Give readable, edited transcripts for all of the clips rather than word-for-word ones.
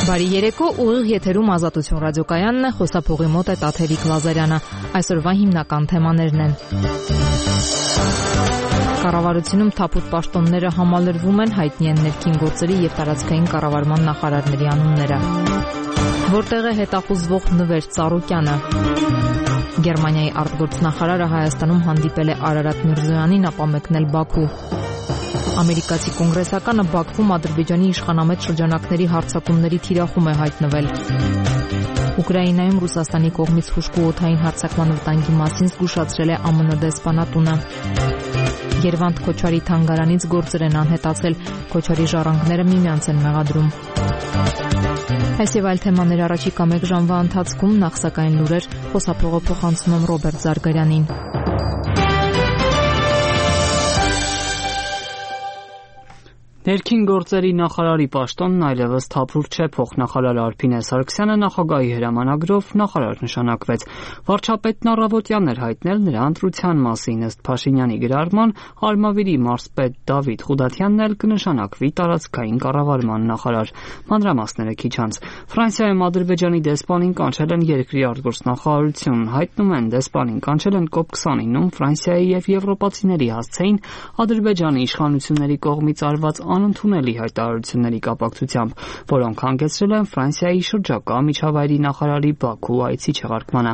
Բարի երեկո, ուղիղ եթերում Ազատություն ռադիոկայանն է, խոսափողի մոտ է Տաթևիկ Լազարյանը։ Այսօրվա հիմնական թեմաներն են. Կառավարությունում թափուտ պաշտոնները համալրվում են, հայտնի են ներքին գործերի եւ տարածքային կառավարման նախարարների անունները։ Որտեղ է հետախուզվող Նվեր Ծառուկյանը։ Գերմանիայի արտգործնախարարը Հայաստանում հանդիպել է Արարատ Միրզոյանին, ապա մեկնել Բաքու։ Ամերիկացի կոնգրեսականը Բաքվում Ադրբեջանի իշխանամետ շրջանակների հարձակումների թիրախում է հայտնվել։ Ուկրաինայում Ռուսաստանի կողմից հուժկու օդային հարձակման վտանգի մասին զգուշացրել է ԱՄՆ դեսպանատունը։ Երևանդ Քոչարի թանգարանից գործեր են անհետացել, Քոչարի ժառանգները միմյանց են մեղադրում։ Այս եւ այլ թեմաներ առաջիկա 1 ժամվա ընթացքում, նախ սակայն լուրեր, խոսափողը փոխանցում եմ Ռոբերտ Զարգարյանին։ Ներքին գործերի նախարարի պաշտոնն այլևս թափուր չէ, փոխնախարար Արփինե Սարգսյանը նախագահի հրամանագրով նախարար նշանակվեց։ Վարչապետն առավոտյան էր հայտնել նրա ընտրության մասին, ըստ Փաշինյանի գրառման, Արմավիրի մարզպետ Դավիթ Խուդատյանն էլ կնշանակվի տարածքային կառավարման նախարար։ Մանրամասները քիչ անց։ Ֆրանսիայում Ադրբեջանի դեսպանին կանչել են երկրի արտգործնախարարություն, հայտնում են դեսպանին կանչել են COP29-ում Ֆրանսիայի եւ եվրոպացիների հասցեին Ադրբեջանի իշխանությունների կողմից արված անընդունելի հայտարարությունների կապակցությամբ, որոնք հանգեցրել են Ֆրանսիայի շրջակա միջավայրի նախարարի Բաքու այցի չեղարկմանը։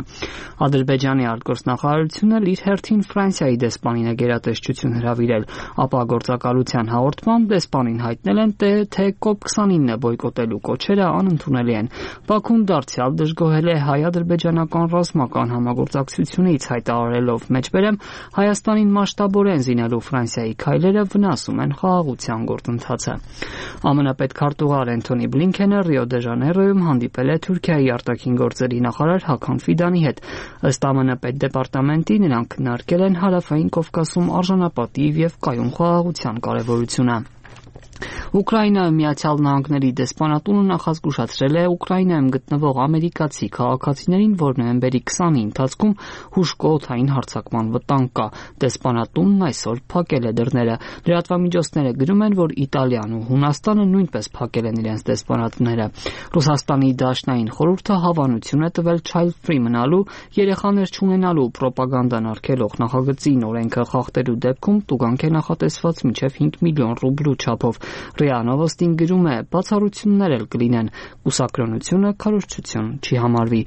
Ադրբեջանի արտգործնախարարությունը իր հերթին Ֆրանսիայի դեսպանին է գերատեսչություն հրավիրել, ապա գործակալության հաղորդմամբ դեսպանին հայտնել են, թե COP29-ը բոյկոտելու կոչերը անընդունելի են։ Բաքուն դարձյալ դժգոհել է հայ-ադրբեջանական ռազմական համագործակցությունից, հայտարարելով մեջբերեմ Հայաստանին մասշտաբորեն զինելու Ֆրանսիայի քայլերը վնասում են խաղաղության գործընթացը։ ԱՄՆ պետքարտուղար Էնթոնի Բլինքենը Ռիո դե Ժանեյրոյում հանդիպել է Թուրքիայի արտաքին գործերի նախարար Հական Ֆիդանի հետ։ Ըստ ԱՄՆ պետդեպարտամենտի նրանք քննարկել են Հարավային Կովկասում արժանապատիվ եւ կայուն խաղաղության կարեւորությունը։ Ուկրաինայում Միացյալ Նահանգների դեսպանատունը նախազգուշացրել է Ուկրաինայում գտնվող ամերիկացի քաղաքացիներին, որ նոյեմբերի 20-ի ընթացքում հուժկօդային հարձակման վտանգ կա։ Դեսպանատունն այսօր փակել է դռները։ Լրատվամիջոցները գրում են, որ Իտալիան ու Հունաստանը նույնպես փակել են իրենց դեսպանատները։ Ռուսաստանի Դաշնային խորհուրդը հավանություն է տվել Child-Free մնալու, երեխաներ չունենալու պրոպագանդան արգելող նախագծին օրենքը խախտելու դեպքում տուգանք է նախատեսված մինչև 5 միլիոն ռուբլու չափով։ ՌԻԱ Նովոստին գրում է, բացառություններ էլ կլինեն, կուսակրոնությունը քարոզչություն չի համարվի։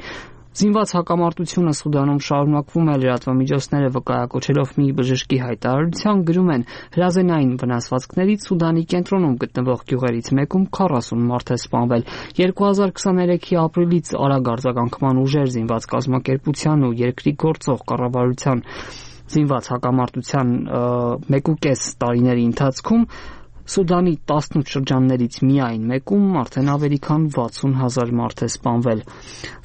Զինված հակամարտությունը Սուդանում շարունակվում է, լրատվամիջոցները վկայակոչելով մի բժշկի հայտարարության գրում են, հրազենային վնասվածքներից Սուդանի կենտրոնում գտնվող գյուղերից մեկում 40 մարդ է սպանվել։ 2023-ի ապրիլից արագ արձագանքման ուժեր զինված կազմակերպության ու երկրի գործող կառավարության զինված հակամարտության 1.5 տարիների ընթացքում Սուդանի 18 շրջաններից միայն մեկում արդեն ավելի քան 60,000 մարդ է սպանվել։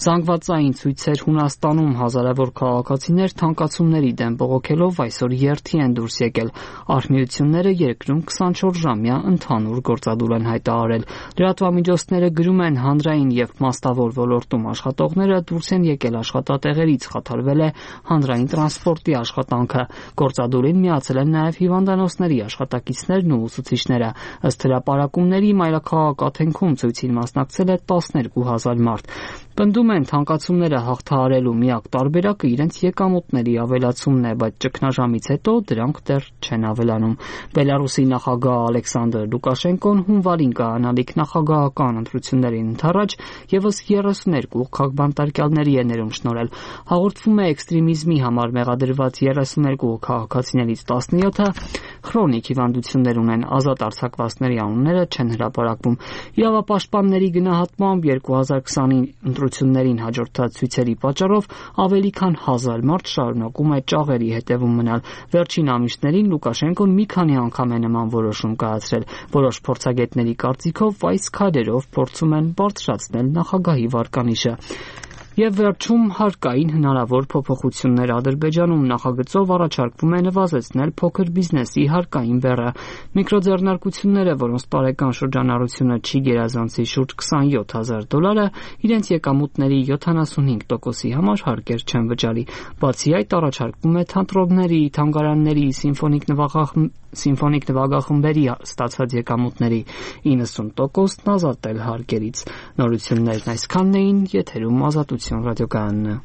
Զանգվածային ցույցեր Հունաստանում հազարավոր քաղաքացիներ թանկացումների դեմ բողոքելով այսօր երթի են դուրս եկել։ Արհմիությունները երկրում 24-ժամյա ընդհանուր գործադուլ են հայտարարել։ Լրատվամիջոցները գրում են, հանրային եւ մաստավոր ոլորտում աշխատողները դուրս են եկել աշխատատեղերից, խաթարվել է հանրային տրանսպորտի աշխատանքը։ Գործադուլին միացել են նաեւ հիվանդանոցների աշխատակիցներն ու ուսուցիչները։ Ըստ հրապարակումների մայրաքաղաք Աթենքում ցույցին մասնակցել է 12,000 մարդ։ Պնդում են, թանկացումները հաղթահարելու միակ տարբերակը իրենց եկամուտների ավելացումն է, բայց ճգնաժամից հետո դրանք դեռ չեն ավելանում։ Բելարուսի նախագահ Ալեքսանդր Լուկաշենկոն հունվարին կայանալիք նախագահական ընտրություններին ընդառաջ եւս 32 քաղաքբանտարկյալների է ներում շնորհել։ Հաղորդվում է էքստրեմիզմի համար մեղադրված 32 քաղաքացիներից 17-ը քրոնիկ հիվանդություններ ունեն, ազատ արձակվածների անունները չեն հրապարակվում։ Իրավապաշտպանների գնահատմամբ 2020-ի ընտրություններին հաջորդած ցույցերի պատճառով ավելի քան 1000 մարդ շարունակում է ճաղերի հետևում մնալ։ Վերջին ամիսներին Լուկաշենկոն մի քանի անգամ է նման որոշում կայացրել։ Որոշ փորձագետների կարծիքով այս քայլերով փորձում են բարձրացնել նախագահի վարկանիշը։ Եվ վերջում հարկային հնարավոր փոփոխություններ Ադրբեջանում նախագծով առաջարկվում է նվազեցնել փոքր բիզնեսի հարկային բեռը։ Միկրոձեռնարկությունները, որոնց տարեկան շրջանառությունը չի գերազանցի շուրջ $27,000, իրենց եկամուտների 75%-ի համար հարկեր չեն վճարի։ Բացի այդ, առաջարկվում է թատրոնների, թանգարանների, սիմֆոնիկ նվագախմբերի ստացած եկամուտների 90%-ն ազատել հարկերից։ Նորություններն այսքանն էին, եթերում Ազատություն ռադիոկայանն է։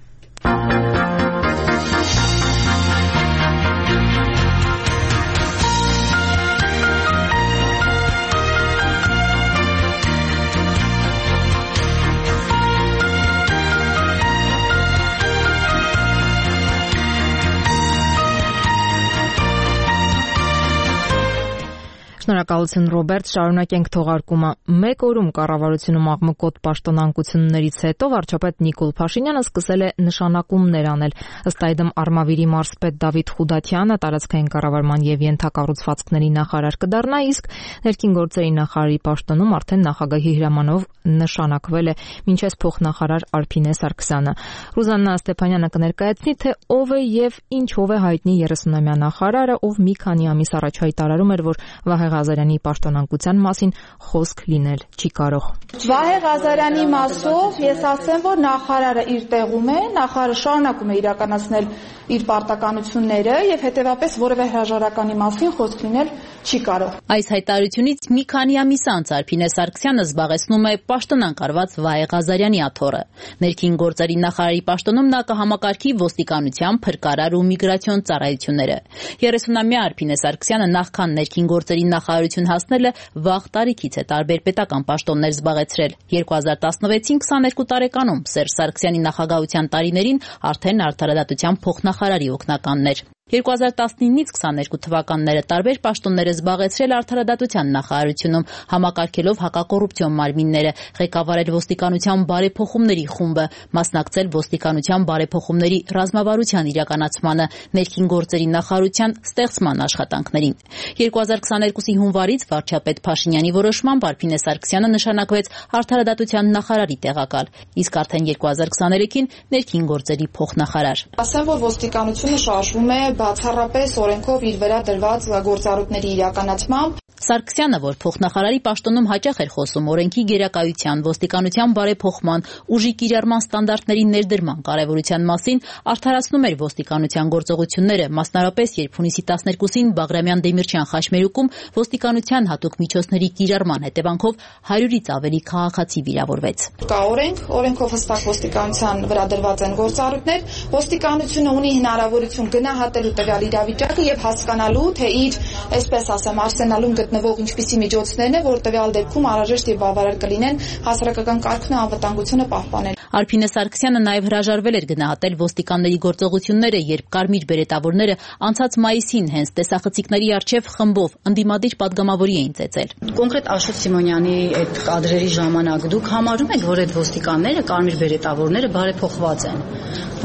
Շնորհակալություն Ռոբերտ, շարունակենք թողարկումը։ Մեկ օրում կառավարությունում աղմկոտ պաշտոնանկություններից հետո վարչապետ Նիկոլ Փաշինյանը սկսել է նշանակումներ անել։ Ըստ այդմ Արմավիրի մարզպետ Դավիթ Խուդաթյանը տարածքային կառավարման եւ ենթակառուցվածքների նախարար կդառնա, իսկ ներքին գործերի նախարարի պաշտոնում արդեն նախագահի հրամանով նշանակվել է մինչեւ փոխնախարար Արփինե Սարգսյանը։ Ռուզաննա Ստեփանյանը կներկայացնի, թե ով է եւ ինչով է հայտնի 30-ամյա նախարարը, ով մի քանի ամիս առաջ հայտարարում էր, որ Վահե Ղազարյանի պաշտոնանկության մասին խոսք լինել չի կարող։ Վահե Ղազարյանի մասով ես ասեմ, որ նախարարը իր տեղում է, նախարարը շարունակում է իրականացնել իր պարտականությունները եւ հետեւապես որևէ հրաժարականի մասին խոսք լինել չի կարող։ Այս հայտարարությունից մի քանի ամիս անց Արփինե Սարգսյանը զբաղեցնում է պաշտոնանկարված Վահե Ղազարյանի աթոռը։ Ներքին գործերի նախարարի պաշտոնում նա կհամակարգի ոստիկանության, փրկարար ու միգրացիոն ծառայությունները։ 30-ամյա Արփինե Սարգսյանը նախքան ներքին գործերի նախարարություն հասնելը վաղ տարիքից է տարբեր պետական պաշտոններ զբաղեցրել։ 2016-ին 22 տարեկանում Սերժ Սարգսյանի նախագահության տարիներին արդեն արդարադատության փոխնախարարի օգնականն էր։ 2019-ից 22 թվականները տարբեր պաշտոններ զբաղեցրել արդարադատության նախարարությունում, համակարգելով հակակոռուպցիոն մարմինները, ղեկավարել ոստիկանության բարեփոխումների խումբը, մասնակցել ոստիկանության բարեփոխումների ռազմավարության իրականացմանը, ներքին գործերի նախարարության ստեղծման աշխատանքներին։ 2022-ի հունվարից վարչապետ Փաշինյանի որոշմամբ Արփինե Սարգսյանը նշանակվեց արդարադատության նախարարի տեղակալ, իսկ արդեն 2023-ին ներքին գործերի փոխնախարար։ Ասեմ, որ ոստիկանությունը շարժվում է բացառապես օրենքով իր վրա դրված գործառույթների իրականացմամբ։ Սարգսյանը, որ փոխնախարարի պաշտոնում հաճախ էր խոսում օրենքի գերակայության, ոստիկանության բարեփոխման, ուժի կիրառման ստանդարտների ներդրման կարևորության մասին, արդարացնում էր ոստիկանության գործողությունները, մասնավորապես երբ հունիսի 12-ին Բաղրամյան Դեմիրճյան խաչմերուկում ոստիկանության հատուկ միջոցների կիրառման հետևանքով 100-ից ավելի քաղաքացի վիրավորվեց։ Կա օրենք, օրենքով հստակ ոստիկանության վրա դրված են գործառույթներ, ոստիկանությունը ունի հնարավորություն գնահատելու տվյալ իրավիճակը եւ հասկանալու, թե իր, այսպես ասեմ, արսենալում գտնվող ինչպիսի միջոցներն է, որ տվյալ դեպքում անհրաժեշտ եւ բավարար կլինեն հասարակական կարգն ու անվտանգությունը պահպանել։ Արփինե Սարգսյանը նաև հրաժարվել էր գնահատել ոստիկանների գործողությունները, երբ կարմիր բերետավորները անցած մայիսին հենց տեսախցիկների առջև խմբով ընդդիմադիր падգամավորի էին ծեծել։ Կոնկրետ Աշոտ Սիմոնյանի այդ կադրերի ժամանակ դուք համարում եք, որ այդ ոստիկանները, կարմիր բերետավորները բարեփոխված են,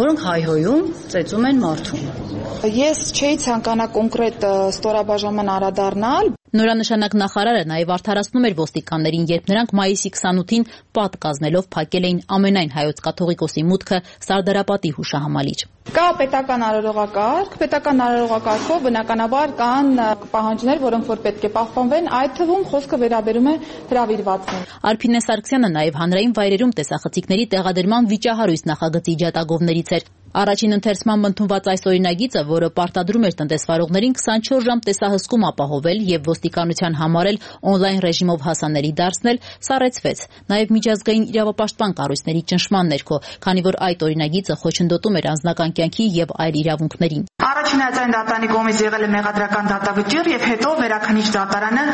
որոնք հայհոյում, ծեծում են մարդուն։ Ես չէի ցանկանա կոնկրետ ստորաբաժանման անդրադառնալ։ Նորանշանակ նախարարը նաև արդարացնում էր ոստիկաններին, երբ նրանք մայիսի 28-ին պատ կազմելով փակել էին ամենայն հայոց կաթողիկոսի մուտքը Սարդարապատի հուշահամալիր։ Կա պետական արարողակարգ, պետական արարողակարգով բնականաբար կան պահանջներ, որոնք որ պետք է պահպանվեն, այդ թվում խոսքը վերաբերում է հրավիրվածներին։ Արփինե Սարգսյանը նաև հանրային վայրերում տեսախցիկների տեղադրման վիճահարույց նախագծի ջատագովներից էր։ Առաջին ընթերցման ընդունված այս օրինագիծը, որը պարտադրում էր տնտեսվարողներին 24 ժամ տեսահսկում ապահովել եւ ոստիկանության համարել օնլայն ռեժիմով հասանելի դարձնել, սառեցվեց։ Նաեւ միջազգային իրավապաշտպան կառույցների ճնշման ներքո, քանի որ այդ օրինագիծը խոչընդոտում էր անձնական կյանքի եւ այլ իրավունքներին։ Առաջին հայցային դատարանի կողմից եղել է մեղադրական դատավճիռ եւ հետո վերաքննիչ դատարանը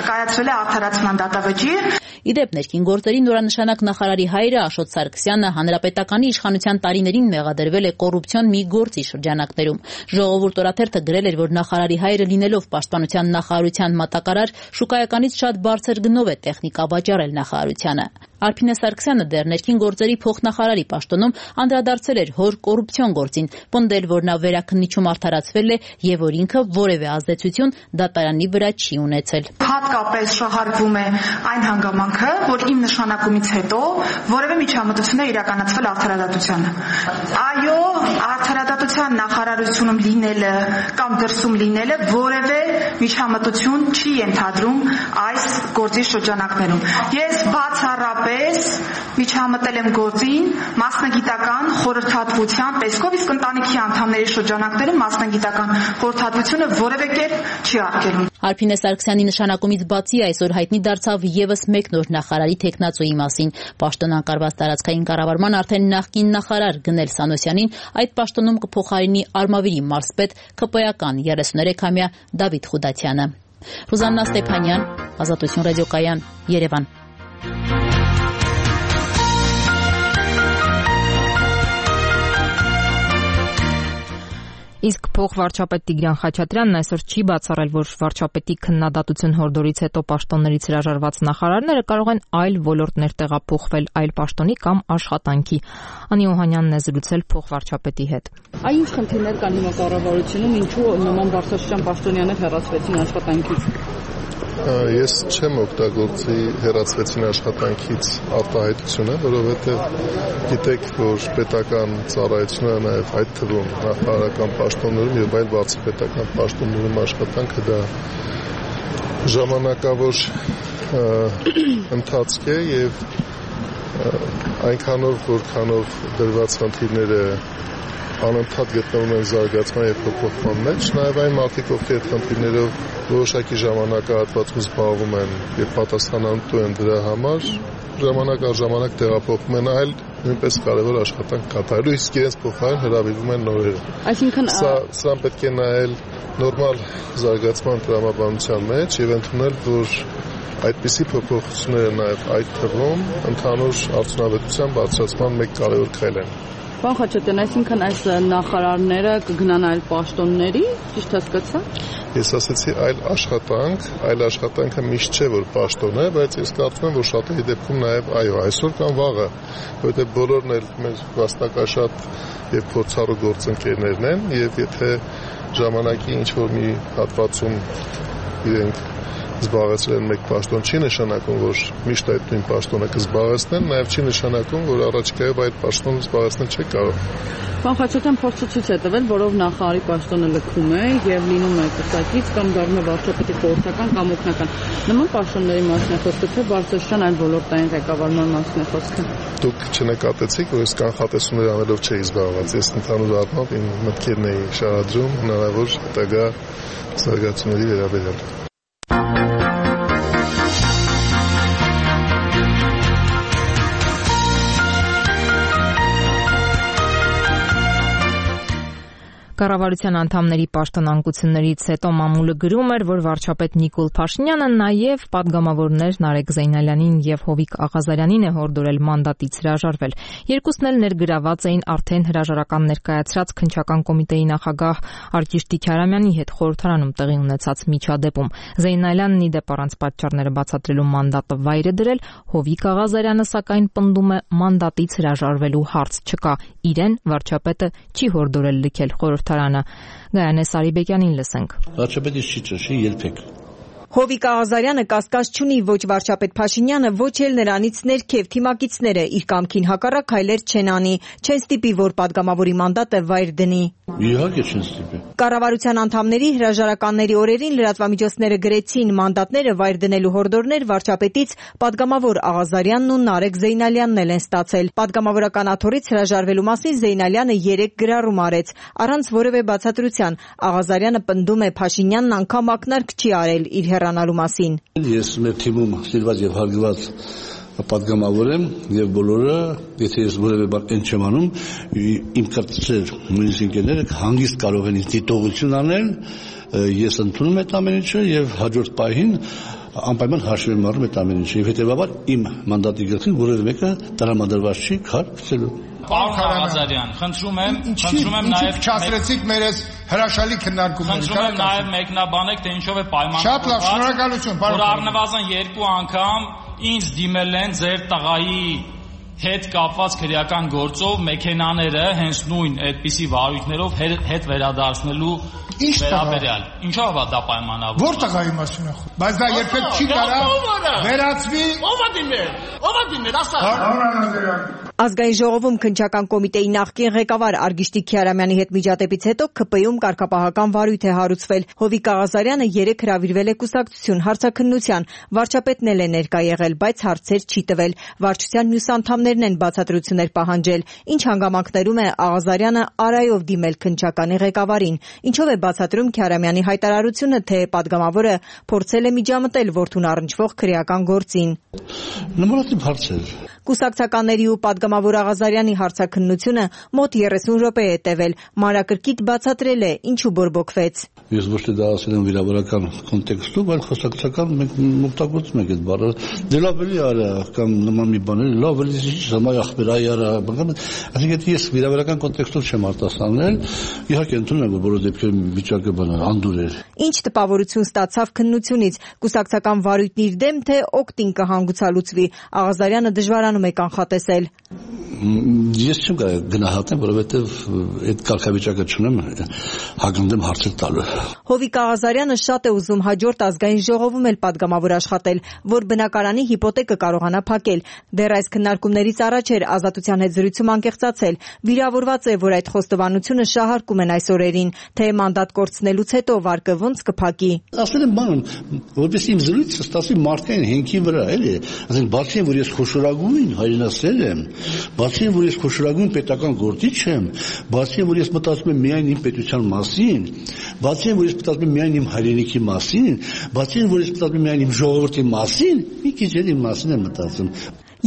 կայացրել է արդարացման դատավճիռ։ Իդեպ ներքին գործերի նորանշանակ նախարարի հայրը Աշոտ Սարգսյանը հանրապետականի իշխանության տարիներին մեղադրվել է կոռուպցիոն մի գործի շրջանակներում։ Ժողովուրդ օրաթերթը գրել էր, որ նախարարի հայրը լինելով պաշտպանության նախարարության մատակարար, շուկայականից շատ բարձր գնով է տեխնիկա վաճառել նախարարությանը։ Արփինե Սարգսյանը դեռ ներքին գործերի փոխնախարարի պաշտոնում անդրադարձել էր հոր կոռուպցիոն գործին, պնդել, որ նա վերաքննիչում արդարացվել է եւ որ ինքը որևէ ազդեցություն դատարանի վրա չի ունեցել։ Հատկապես շահարկվում է այն հանգամանքը, որ իմ նշանակումից հետո որևէ միջամտություն է իրականացվել արդարադատությանը։ Այո, արդարադատության նախարարությունում լինելը կամ դրսում լինելը որևէ միջամտություն չի ենթադրում այս գործի շրջանակներում։ Ես բացառապես միջամտել եմ գործին մասնագիտական խորհրդատվության տեսքով, իսկ ընտանիքի անդամների շրջանակներում մասնագիտական խորհրդատվությունը որևէ կերպ չի արգելում։ Արփինե Սարգսյանի նշանակումից բացի այսօր հայտնի դարձավ եւս մեկ նոր նախարարի թեկնածուի մասին։ Պաշտոն անկարված տարածքային կառավարման արդեն նախկին նախարար Գնել Սանոսյանին այդ պաշտոնում կփոխարինի Արմավիրի մարզպետ ԿՊ-ական 33-ամյա Դավիթ Խուդատյանը։ Ռուզաննա Ստեփանյան, Ազատություն ռադիոկայան, Երևան։ Իսկ փոխվարչապետ Տիգրան Խաչատրյանն այսօր չի բացառել, որ վարչապետի քննադատություն հորդորից հետո պաշտոններից հրաժարված նախարարները կարող են այլ ոլորտներ տեղափոխվել, այլ պաշտոնի կամ աշխատանքի։ Անի Օհանյանն է զրուցել փոխվարչապետի հետ։ Այն ինչ խնդիրներ կան հիմա կառավարությունում, ինչու նման բարձրաստիճան պաշտոնյաներ հեռացվեցին աշխատանքից։ Ես չեմ օգտագործի հեռացվեցին աշխատանքից արտահայտությունը, որովհետև գիտեք, որ պետական ծառայությունները նաև այդ թվում նախարարական պաշտոններում եւ այլ բարձր պետական պաշտոններում աշխատանքը դա ժամանակավոր ընթացք է եւ այնքանով որքանով դրված խնդիրները անընդհատ գտնվում են զարգացման եւ փոփոխման մեջ, նաեւ այն մարդիկ, ովքեր խնդիրներով որոշակի ժամանակահատվածում զբաղվում են եւ պատասխանատու են դրա համար, ժամանակ առ ժամանակ տեղափոխվում են այլ նույնպես կարևոր աշխատանք կատարելու, իսկ իրենց փոխարեն հրավիրվում են նորերը։ Այսինքն սա պետք է նայել նորմալ զարգացման տրամաբանության մեջ եւ ընդունել, որ այդպիսի փոփոխությունները նաեւ այդ թվում ընդհանուր արդյունավետության բարձրացման մեկ կարևոր քայլ են։ Պարոն Խաչատրյան, այսինքն այս նախարարները կգնան այլ պաշտոնների, ճիշտ հասկացա։ Ես ասացի այլ աշխատանքը միշտ չէ որ պաշտոն է, բայց ես կարծում եմ, որ շատերի դեպքում նաև այո, այսօր կամ վաղը, որովհետև բոլորն էլ մեր վաստակաշատ եւ փորձառու գործընկերներն են, եւ եթե ժամանակի ինչ որ մի հատվածում իրենք զբաղեցրել են մեկ պաշտոն, չի նշանակում, որ միշտ այդ նույն պաշտոնը կզբաղեցնեն, նաև չի նշանակում, որ առաջիկայով այդ պաշտոնը զբաղեցնել չի կարող։ Պարոն Խաչատրյան, փորձը ցույց է տվել, որով նախարարի պաշտոնը լքում է եւ լինում է կրկնակից կամ դառնում է վարչապետի խորհրդական կամ օգնական։ Նման պաշտոնների մասին է խոսքը, թե բարձրաստիճան այլ ոլորտային ղեկավարման մասին է խոսքը։ Դուք չնկատեցիք, որ ես կանխատեսումներ անելով չէի զբաղված։ Ես ընդհանուր առմամբ իմ մտքերն էի շարադրում հնարավոր հետագա զարգացումների վերաբերյալ։ Կառավարության անդամների պաշտոնանկություններից հետո մամուլը գրում էր, որ վարչապետ Նիկոլ Փաշինյանը նաև պատգամավորներ Նարեկ Զեյնալյանին եւ Հովիկ Աղազարյանին է հորդորել մանդատից հրաժարվել։ Երկուսն էլ ներգրաված էին արդեն հրաժարական ներկայացրած քննչական կոմիտեի նախագահ Արկիշ Քարամյանի հետ խորհրդարանում տեղի ունեցած միջադեպում։ Զեյնալյանն ի դեպ առանց պատճառները բացատրելու մանդատը վայր է դրել, Հովիկ Աղազարյանը սակայն պնդում է մանդատից հրաժարվելու հարց չկա։ Իրեն վարչապետը չի հորդորել լքել խորհրդարանը։ Գայանե Սարիբեկյանին լսենք։ Վարչապետը չի ճշի երբեք։ Հովիկ Աղազարյանը կասկած չունի ոչ վարչապետ Փաշինյանը, ոչ էլ նրանից ներքև թիմակիցները իր կամքին հակառակ հայլեր չեն անի, չեն ստիպի, որ падգամավորի մանդատը վայր դնի։ Իհարկե չեն ստիպի։ Կառավարության անդամների հրաժարականների օրերին լրատվամիջոցները գրեցին մանդատները վայր դնելու հորդորներ վարչապետից падգամավոր Աղազարյանն ու Նարեկ Զեյնալյանն են ստացել։ Падգամավորական աթոռից հրաժարվելու մասին Զեյնալյանը 3 գրառում արեց, առանց որևէ բացատրության։ Աղազարյանը պնդում է Փաշինյանն անգամ ակնարկ չի արել իր հեռանալու մասին։ Ես մեր թիմում սիրված եւ հարգված падգամավոր եմ եւ բոլորը, եթե ես որևէ բան չեմ անում, իմ կարծիքով նույնիսկ ինքները հանգիստ կարող են դիտողություն անել, ես ընդունում եմ այդ ամեն ինչը եւ հաջորդ պահին անպայման հաշվի եմ առնում այդ ամեն ինչը եւ հետեւաբար իմ մանդատի գլխին որևէ մեկը տրամադրված չի քարոզելու։ Պարոն Աղազարյան, խնդրում եմ նաև չասրեցիք մեր այս հրաշալի քննարկումները։ Խնդրում եմ նաև մեկնաբանեք, թե ինչով է պայմանավորված։ Շատ լավ, շնորհակալություն, պարոն։ Որ առնվազն 2 անգամ ինձ դիմել են ձեր տղայի հետ կապված քրեական գործով մեքենաները հենց նույն այդպիսի վարույթներով հետ վերադարձնելու վերաբերյալ։ Ինչով է դա պայմանավորված։ Որ տղայի մասին է խոսքը։ Բայց դա երբեք չի կարա վերածվի։ Ո՞վ է դիմել, ասա։ Ազգային ժողովում քննչական կոմիտեի նախկին ղեկավար Արգիշտիկ Քյարամյանի հետ միջադեպից հետո ԿՊ-ում կարգապահական վարույթ է հարուցվել։ Հովիկ Աղազարյանը երեկ հրավիրվել է կուսակցություն հարցաքննության, վարչապետն էլ է ներկա եղել, բայց հարցեր չի տվել։ Վարչության մյուս անդամներն են բացատրություններ պահանջել։ Ինչ հանգամանքներում է Աղազարյանը արայով դիմել քննչականի ղեկավարին։ Ինչով է բացատրում Քյարամյանի հայտարարությունը, թե պատգամավորը փորձել է միջամտել որդուն առնչվող քրեական գործին։ Նմանատիպ հարցեր։ Կուսակցականների ու պատգամավոր Աղազարյանի հարցաքննությունը մոտ 30 րոպե է տևել։ Մանրակրկիտ բացատրել է ինչու բորբոքվեց։ Ես ոչ թե դա ասել եմ վիրավորական կոնտեքստում, այլ խոսակցական մենք օգտագործում ենք այդ բառը։ Դե լավ էլի արա կամ նման մի բան էլի, լավ էլի ժամայ ախպերայ արա, այսինքն ես վիրավորական կոնտեքստով չեմ արտասանել, իհարկե ընդունում եմ, որ բոլոր դեպքերում վիճակը բանը անդուր էր։ Ինչ տպավորություն ստացավ քննությունից, կուսակցական վարույթն իր դեմ, թե օգտին կհանգուցալուծվի։ Աղազարյանը դժվարանում է կանխատեսել։ Ես չեմ կարող գնահատեմ, որովհետև այդ կարգավիճակը չունեմ հագնդեմ հարցեր տալու։ Հովիկ Աղազարյանը շատ է ուզում հաջորդ ազգային ժողովում էլ պատգամավոր աշխատել, որ բնակարանի հիպոթեկը կարողանա փակել։ Դեռ այս քննարկումներից առաջ էր Ազատության հետ զրույցում անկեղծացել։ Վիրավորված է, որ այդ խոստովանությունը շահարկում են այս օրերին, թե մանդատ կորցնելուց հետո վարկը ոնց կփակի։ Ասել եմ բան, որպես իմ զրույցը ստացվի մարդկային հենքի վրա, էլի։ Ասեն բացի որ ես խոշորագույն հայրենասեր եմ, բացի որ ես խոշորագույն պետական գործիչ եմ, բացի որ ես մտածում եմ միայն իմ պետության մասին, բացի որ ես մտածում եմ միայն իմ հայրենիքի մասին, բացի որ ես մտածում եմ միայն իմ ժողովրդի մասին, մի քիչ էլ իմ մասին եմ մտածում։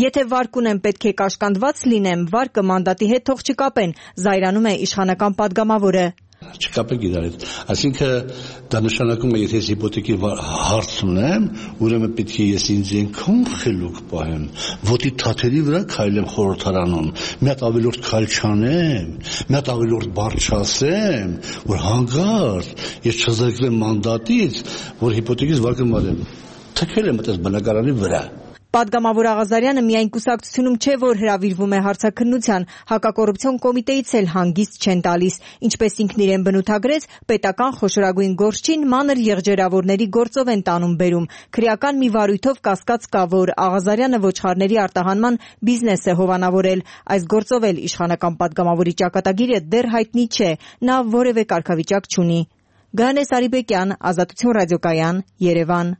Եթե վարկ ունեմ, պետք է կաշկանդված լինեմ, վարկը մանդատի հետ թող չկապեն, զայրանում է իշխանական պատգամավորը։ Չկապեք իրար հետ։ Այսինքն դա նշանակում է, եթե ես հիպոթեկի հարց ունեմ, ուրեմն պետք է ես ինձ այնքան խելոք պահեմ, ոտի թաթերի վրա քայլեմ խորհրդարանում, մի հատ ավելորդ քայլ չանեմ, մի հատ ավելորդ բառ չասեմ, որ հանգարտ ես չզրկվեմ մանդատից, որ հիպոթեկից վարկը մարեմ։ Թքել եմ այդպես բնակարանի վրա։ Պատգամավոր Աղազարյանը միայն կուսակցությունում չէ, որ հրավիրվում է հարցաքննության, հակակոռուպցիոն կոմիտեից էլ հանգիստ չեն տալիս։ Ինչպես ինքն իրեն բնութագրեց, պետական խոշորագույն գործչին մանր եղջերավորների գործով են տանում բերում։ Քրեական մի վարույթով կասկած կա, որ Աղազարյանը ոչխարների արտահանման բիզնես է հովանավորել։ Այս գործով էլ իշխանական պատգամավորի ճակատագիրը դեռ հայտնի չէ, նա որևէ կարգավիճակ չունի։ Գայանե Սարիբեկյան, Ազատություն ռադիոկայան, Երևան։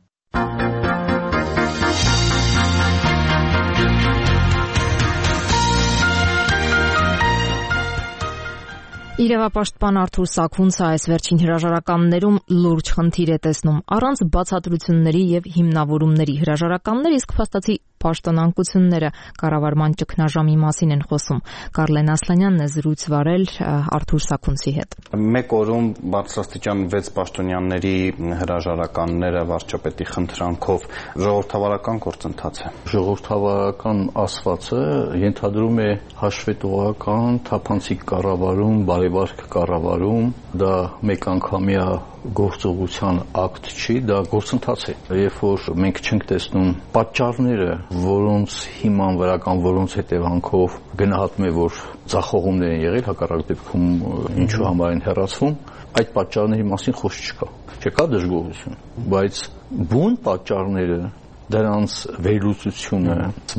Իրավապաշտպան Արթուր Սաքունցը այս վերջին հրաժարականներում լուրջ խնդիր է տեսնում առանց բացատրությունների եւ հիմնավորումների։ Հրաժարականները իսկ փաստացի պաշտոնանկությունները կառավարման ճգնաժամի մասին են խոսում։ Կարլեն Ասլանյանն է զրույց վարել Արթուր Սաքունցի հետ։ Մեկ օրում բարձրաստիճան 6 պաշտոնյաների հրաժարականները վարչապետի խնդրանքով ժողովրդավարական գործընթաց է։ Ժողովրդավարական ասվածը ենթադրում է հաշվետվողական, թափանցիկ կառավարում, բարեվարք կառավարում, դա մեկ անգամյա գործողության ակտ չի, դա գործընթաց է։ Երբ որ մենք չենք տեսնում պատճառները, որոնց հիման վրա կամ որոնց հետևանքով գնահատում է, որ ձախողումներ են եղել, հակառակ դեպքում ինչու համար են հեռացվում, այդ պատճառների մասին խոսք չկա։ Չկա դժգոհություն, բայց բուն պատճառները, դրանց վերլուծությունը,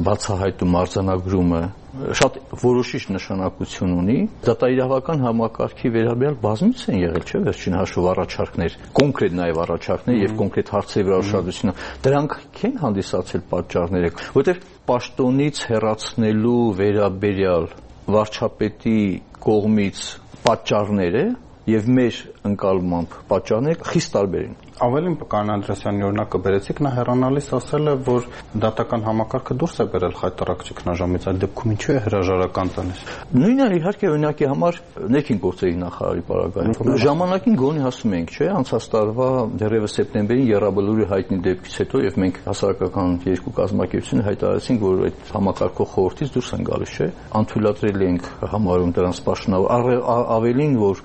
բացահայտում, արձանագրումը շատ որոշիչ նշանակություն ունի։ Դատաիրավական համակարգի վերաբերյալ բազմից են եղել, չէ՞, վերջին հաշվով առաջարկներ, կոնկրետ նաև առաջարկներ եւ կոնկրետ հարցերի վրա ուշադրությունը։ Դրանք չեն հանդիսացել պատճառները, որովհետեւ պաշտոնից հեռացնելու վերաբերյալ վարչապետի կողմից պատճառները եւ մեր ընկալմամբ պատճառները խիստ տարբեր են։ Ավելին Կանան Անդրեասյանի օրինակը բերեցիք, նա հեռանալիս ասել է, որ դատական համակարգը դուրս է բերել խայտարակ ճգնաժամից, այդ դեպքում ինչու է հրաժարական տալիս։ Նույնը իհարկե օրինակի համար ներքին գործերի նախարարի պարագայում ժամանակին գոնե ասում ենք, չէ, անցած տարվա դեռևս սեպտեմբերին Եռաբլուրի հայտնի դեպքից հետո եւ մենք հասարակական երկու կազմակերպությունը հայտարարեցինք, որ այդ համակարգող խորհրդից դուրս են գալիս, չէ, անթույլատրելի ենք համարում դրանց պաշտոնավոր ավելին, որ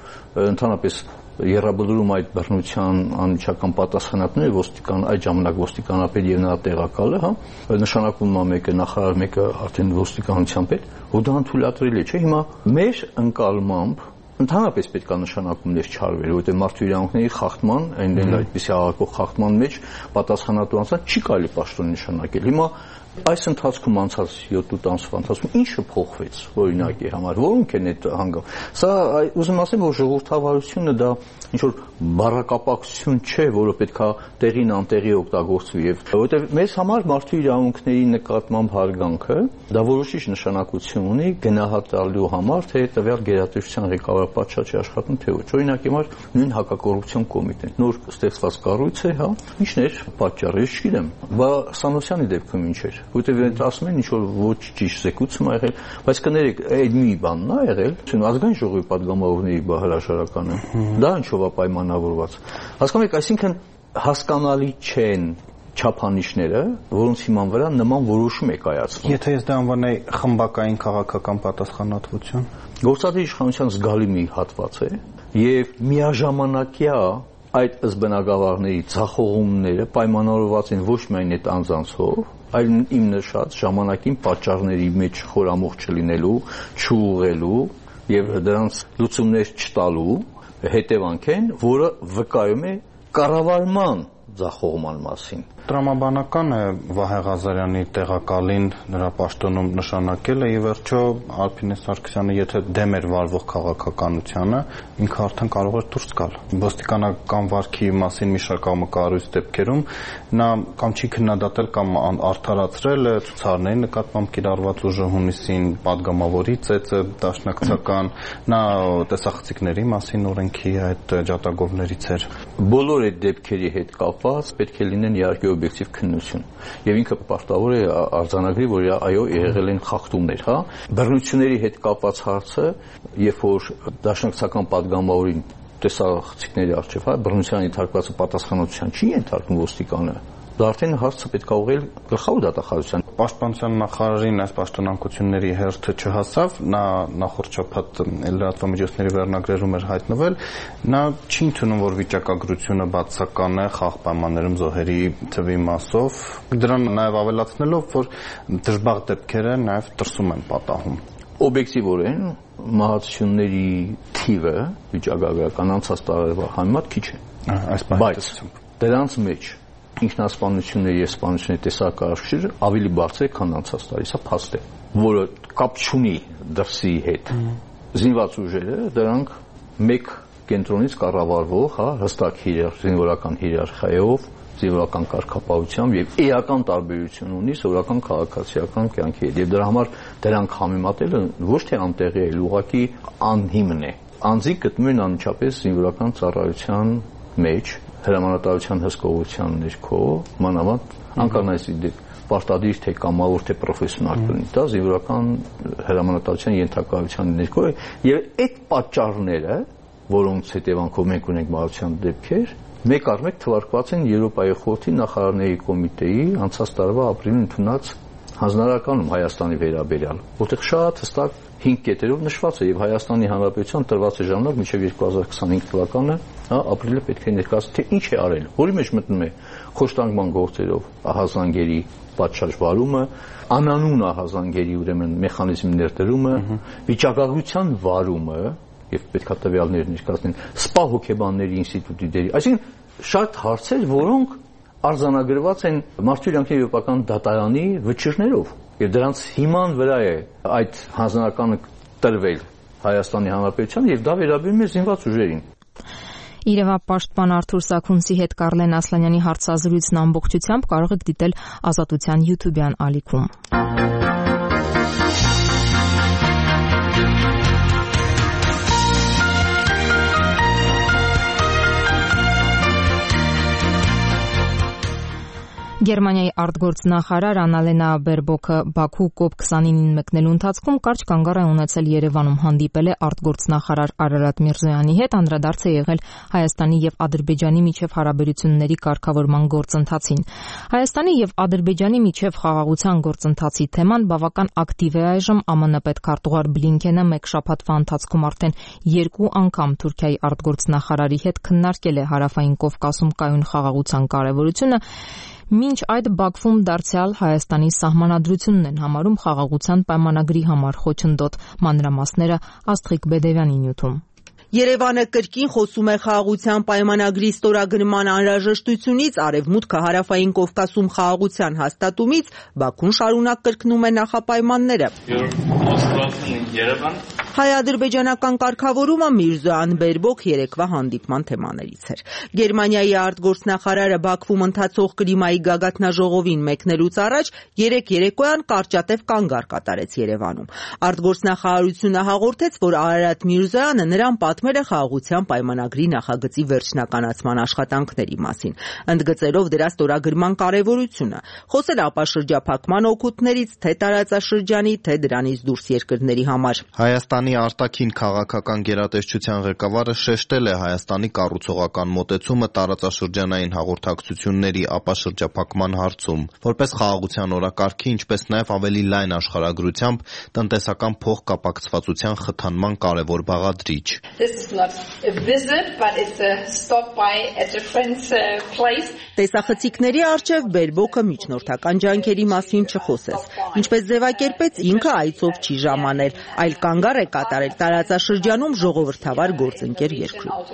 ընդհանրապես երաբլուրում այդ բռնության անմիջական պատասխանատուները այդ ժամանակ ոստիկանապետ եւ նրա տեղակալը, հա, նշանակվում է մեկը նախարար, մեկը արդեն ոստիկանության պետ, ու դա անթույլատրելի չէ։ Հիմա մեր ընկալմամբ ընդհանրապես պետք է նշանակումներ չարվեր, որովհետեւ մարդու իրավունքների խախտման, այնտեղ այդպիսի աղակող խախտման մեջ պատասխանատու անձանց չի կարելի պաշտոն նշանակել։ Հիմա այս ընթացքում անցած 7-8 ամսվա ընթացքում ինչը փոխվեց օրինակի համար, որոնք են այդ հանգամ։ Սա ուզում ասեմ, որ ժողովրդավարությունը դա ինչ որ բառակապակցություն չէ, որը պետքա տեղին անտեղի օգտագործվի, եւ որովհետեւ մեզ համար մարդու իրավունքների նկատմամբ հարգանքը դա որոշիչ նշանակություն ունի գնահատելու համար, թե տվյալ գերատեսչության ղեկավար պատշաճի աշխատում թե ոչ։ Օրինակի համար նույն հակակոռուպցիոն կոմիտեն նոր ստեղծված կառույց է, հա, ինչն էր պատճառը, ես չգիտեմ, բա Սանոսյանի դեպքում ինչ էր, որտեղ այդ ասում են ինչ որ ոչ ճիշտ զեկուցում ա եղել, բայց կներեք, այդ մի բանն ա եղել, ազգային ժողովի падգամավորների հրաժարականը, դա ինչով է պայմանավորված։ Հասկանում եք, այսինքն հասկանալի չեն չափանիշները, որոնց հիման վրա նման որոշում է կայացվում։ Եթե ես դա անվանեի խմբակային քաղաքական պատասխանատվություն, գործադիր իշխանության զգալի մի հատված է, եւ միաժամանակյա այդ ըսբնակավարների ձախողումները պայմանավորված են ոչ միայն այդ անձանցով, այլ իմ նշած ժամանակին պատճառների մեջ խորամուխ չլինելու, չուղղելու եւ դրանց լուծումներ չտալու հետևանք են, որը վկայում է կառավարման ձախողման մասին։ Տրամաբանական է Վահե Ղազարյանի տեղակալին նրա պաշտոնում նշանակելը եւ վերջո Ալփինե Սարգսյանը եթե դեմ էր վարվող քաղաքականությանը, ինքը արդեն կարող էր դուրս գալ։ Ոստիկանական վարքի մասին մի շարք կառույց դեպքերում նա կամ չի քննադատել կամ արդարացրել ցուցարների նկատմամբ կիրառված ուժը հունիսին падգամավորի ծեծը դաշնակցական, նա տեսախցիկների մասին օրենքի այդ ջատագովներից էր։ Բոլոր այդ դեպքերի հետ կապված պետք է լինեն իհարկե օբյեկտիվ քննություն եւ ինքը պարտավոր է արձանագրի, որ այո եղել են խախտումներ, հա։ Բռնությունների հետ կապված հարցը, երբ որ դաշնակցական падգամավորին տեսախցիկների առջև, հա, բռնության ենթարկվածը պատասխանատվության չի ենթարկվում ոստիկանը, դա արդեն հարցը պետք է ուղղել գլխավոր դատախազության։ Պաշտպանության նախարարին այս պաշտոնակությունների հերթը չհասավ, նա նախորդ շաբաթ լրատվամիջոցների վերնագրերում էր հայտնվել, նա չի ընդունում, որ վիճակագրությունը բացական է խաղ պայմաններում զոհերի թվի մասով, դրան նաև ավելացնելով, որ դժբախտ դեպքերը նաև դրսում են պատահում։ Օբյեկտիվորեն մահացությունների թիվը վիճակագրական անցած տարվա համեմատ քիչ է, բայց դրանց մեջ ինքնասպանությունների եւ սպանությունների տեսակարգը ավելի բարձր է, քան անցած տարի, սա փաստ է, որը կապ չունի դրսի հետ։ Զինված ուժերը դրանք մեկ կենտրոնից կառավարվող, հա, հստակ զինվորական հիերարխիայով, զինվորական կարգապահությամբ եւ էական տարբերություն ունի սովորական քաղաքացիական կյանքի հետ։ Եվ դրա համար դրանք համեմատելը ոչ թե անտեղի է, ուղղակի անհիմն է։ Անձիկ գտնում են անմիջապես զինվորական ծառայության մեջ հրամանատարության հսկողության ներքո, մանավանդ անկարնայսի պարտադիր թե կամավոր թե պրոֆեսիոնալ կլինի, դա զինվորական հրամանատարության ենթակայության ներքո է, եւ այդ պատճառները, որոնց հետևանքով մենք ունենք մահացության դեպքեր, մեկ առ մեկ թվարկված են Եվրոպայի խորհրդի նախարարների կոմիտեի անցած տարվա ապրիլին ընդունած հանձնարարականում Հայաստանի վերաբերյալ, որտեղ շատ հստակ 5 կետերով նշված է եւ Հայաստանի Հանրապետության տրված է ժամանակ մինչեւ 2025 թվականը, հա, ապրիլը պետք է ներկայացնի, թե ինչ է արել, որի մեջ մտնում է խոշտանգման գործերով ահազանգերի պատշաճ վարումը, անանուն ահազանգերի ուրեմն մեխանիզմ ներդրումը, վիճակագրության վարումը եւ պետք է տվյալներ ներկայացնեն, սպա հոգեբանների ինստիտուտի դերի, այսինքն շատ հարցեր, որոնք արձանագրված են Մարդու իրավունքների եվրոպական դատարանի վճիռներով եւ դրանց հիման վրա է այդ հանձնարարականը տրվել Հայաստանի Հանրապետության եւ դա վերաբերում է զինված ուժերին։ Իրավապաշտպան Արթուր Սաքունցի հետ Կարլեն Ասլանյանի հարցազրույցն ամբողջությամբ կարող եք դիտել Ազատության YouTube-յան ալիքում։ Գերմանիայի արտգործնախարար Անալենա Բերբոքը Բաքու COP29-ին մեկնելու ընթացքում կարճ կանգառ է ունեցել Երևանում, հանդիպել է արտգործնախարար Արարատ Միրզոյանի հետ, անդրադարձ է եղել Հայաստանի եւ Ադրբեջանի միջև հարաբերությունների կարգավորման գործընթացին։ Հայաստանի եւ Ադրբեջանի միջև խաղաղության գործընթացի թեման բավական ակտիվ է այժմ։ ԱՄՆ պետքարտուղար Բլինքենը մեկ շաբաթվա ընթացքում արդեն 2 անգամ Թուրքիայի արտգործնախարարի հետ քննարկել է Հարավային Կովկասում կայուն խաղաղության կարևորությունը։ Մինչ այդ Բաքվում դարձյալ Հայաստանի սահմանադրությունն են համարում խաղաղության պայմանագրի համար խոչընդոտ։ Մանրամասները Աստղիկ Բեդևյանի նյութում։ Երևանը կրկին խոսում է խաղաղության պայմանագրի ստորագրման անհրաժեշտությունից, Արևմուտքը Հարավային Կովկասում խաղաղության հաստատումից, Բաքուն շարունակ կրկնում է նախապայմանները։ Հայ-ադրբեջանական կարգավորումը Միրզոյան Բերբոք երեկվա հանդիպման թեմաներից էր։ Գերմանիայի արտգործնախարարը Բաքվում ընթացող կլիմայի գագաթնաժողովին մեկնելուց առաջ երեկոյան կարճատև կանգառ կատարեց Երևանում։ Արտգործնախարարությունը հաղորդեց, որ Արարատ Միրզոյանը նրան պատմել է խաղաղության պայմանագրի նախագծի վերջնականացման աշխատանքների մասին, ընդգծելով դրա ստորագրման կարևորությունը, խոսել ապաշրջափակման օգուտներից թե տարածաշրջանի, թե դրանից դուրս երկրների համար։ Հայաստանի արտաքին քաղաքական գերատեսչության ղեկավարը շեշտել է Հայաստանի կառուցողական մոտեցումը տարածաշրջանային հաղորդակցությունների ապաշրջափակման հարցում, որպես խաղաղության օրակարգի, ինչպես նաև ավելի լայն աշխարհագրությամբ տնտեսական փոխկապակցվածության խթանման կարևոր բաղադրիչ։ Տեսախցիկների առջև Բերբոքը միջնորդական ջանքերի մասին չխոսեց, ինչպես ձևակերպեց, ինքը այցով չի ժամանել, այլ կանգառ է կատարել տարածաշրջանում ժողովրդավար գործընկեր երկրում։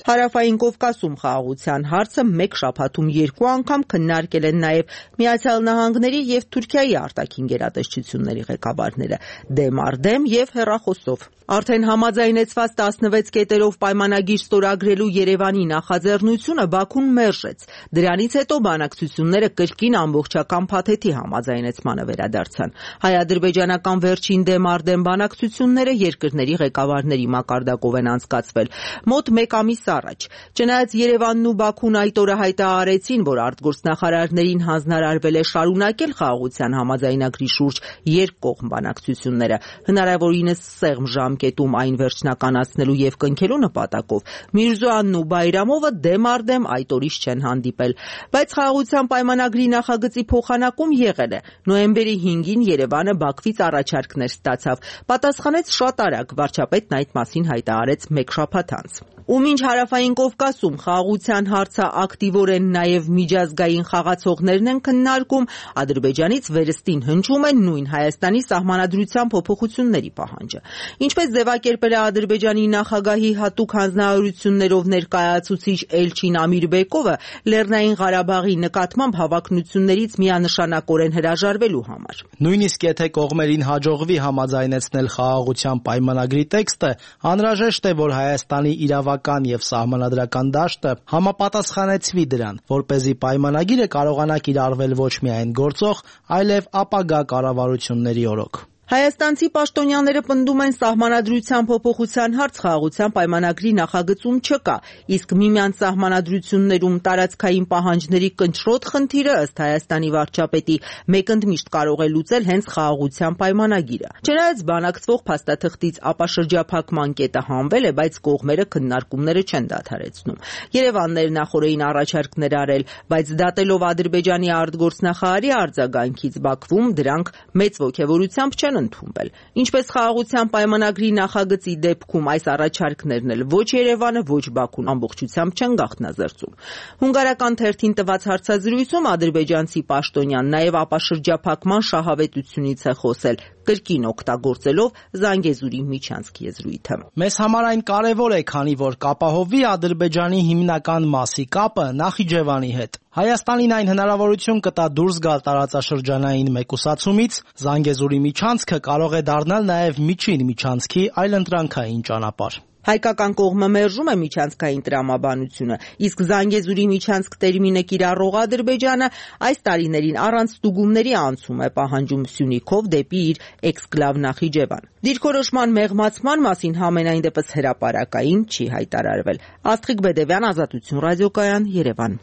Հարավային Կովկասում խաղաղության հարցը մեկ շաբաթում 2 անգամ քննարկել են նաև Միացյալ Նահանգների եւ Թուրքիայի արտաքին գերատեսչությունների ղեկավարները դեմ առ դեմ եւ հեռախոսով։ Արդեն համաձայնեցված 16 կետերով պայմանագիր ստորագրելու Երևանի նախաձեռնությունը Բաքուն մերժեց։ Դրանից հետո բանակցությունները կրկին ամբողջական փաթեթի համաձայնեցմանը վերադարձան։ Հայ-ադրբեջանական վերջին դեմ առ դեմ բանակցությունները երկրների ղեկավարների մակարդակով են անցկացվել մոտ 1 ամիս առաջ։ Չնայած Երևանն ու Բաքուն այդ օրը հայտարարեցին, որ արտգործնախարարներին հանձնարարվել է շարունակել խաղաղության համաձայնագրի շուրջ երկկողմ բանակցությունները, հնարավորինս սեղմ ժամկետում այն վերջնականացնելու եւ կնքելու նպատակով, Միրզոյանն ու Բայրամովը դեմ առ դեմ այդ օրից չեն հանդիպել, բայց խաղաղության պայմանագրի նախագծի փոխանակում եղել է։ Նոյեմբերի 5-ին Երևանը Բաքվից առաջարկներ ստացավ, պատասխանեց շատ արագ, վարչապետն այդ մասին հայտարարեց մեկ շաբաթ անց։ Ու մինչ Հարավային Կովկասում խաղաղության հարցը ակտիվորեն նաև միջազգային խաղացողներն են քննարկում, Ադրբեջանից վերստին հնչում է նույն Հայաստանի սահմանադրության փոփոխությունների պահանջը։ Ինչպես ձևակերպել է Ադրբեջանի նախագահի հատուկ հանձնարարություններով ներկայացուցիչ Էլչին Ամիրբեկովը, Լեռնային Ղարաբաղի նկատմամբ հավակնություններից միանշանակորեն հրաժարվելու համար։ Նույնիսկ եթե կողմերին հաջողվի համաձայնեցնել խաղաղության պայմանագրի տեքստը, անհրաժեշտ է, որ Հայաստանի իրավական եւ սահմանադրական դաշտը համապատասխանեցվի դրան, որպեսզի պայմանագիրը կարողանա կիրառվել ոչ միայն գործող, այլև ապագա կառավարությունների օրոք։ Հայաստանցի պաշտոնյաները պնդում են սահմանադրության փոփոխության հարց խաղաղության պայմանագրի նախագծում չկա, իսկ միմյանց սահմանադրություններում տարածքային պահանջների կնճռոտ խնդիրը ըստ Հայաստանի վարչապետի մեկընդմիշտ կարող է լուծել հենց խաղաղության պայմանագիրը։ Չնայած բանակցվող փաստաթղթից ապաշրջափակման կետը հանվել է, բայց կողմերը քննարկումները չեն դադարեցնում։ Երևանն էր նախորդին առաջարկներ արել, բայց դատելով Ադրբեջանի արտգործնախարարի արձագանքից Բաքվում դրանք մեծ ոգևորությամբ չեն ընդունվել։ Ինչպես խաղաղության պայմանագրի նախագծի դեպքում այս առաջարկներն էլ ոչ Երևանը, ոչ Բաքուն ամբողջությամբ չեն գաղտնազերծում։ Հունգարական թերթին տված հարցազրույցում ադրբեջանցի պաշտոնյան նաև ապաշրջափակման շահավետությունից է խոսել, կրկին օգտագործելով Զանգեզուրի միջանցք եզրույթը։ Մեզ համար այն կարևոր է, քանի որ կապահովվի Ադրբեջանի հիմնական մասի կապը Նախիջևանի հետ։ Հայաստանին այն հնարավորություն կտա դուրս գալ տարածաշրջանային մեկուսացումից, Զանգեզուրի միջանցքը կարող է դառնալ նաև միջին միջանցքի այլընտրանքային ճանապարհ։ Հայկական կողմը մերժում է միջանցքային տրամաբանությունը, իսկ Զանգեզուրի միջանցք տերմինը կիրառող Ադրբեջանը այս տարիներին առանց ստուգումների անցում է պահանջում Սյունիքով դեպի իր էքսկլավ Նախիջևան։ Դիրքորոշման մեղմացման մասին համենայն դեպս հրապարակային չի հայտարարվել։ Աստղիկ Բեդևյան, Ազատություն ռադիոկայան, Երևան։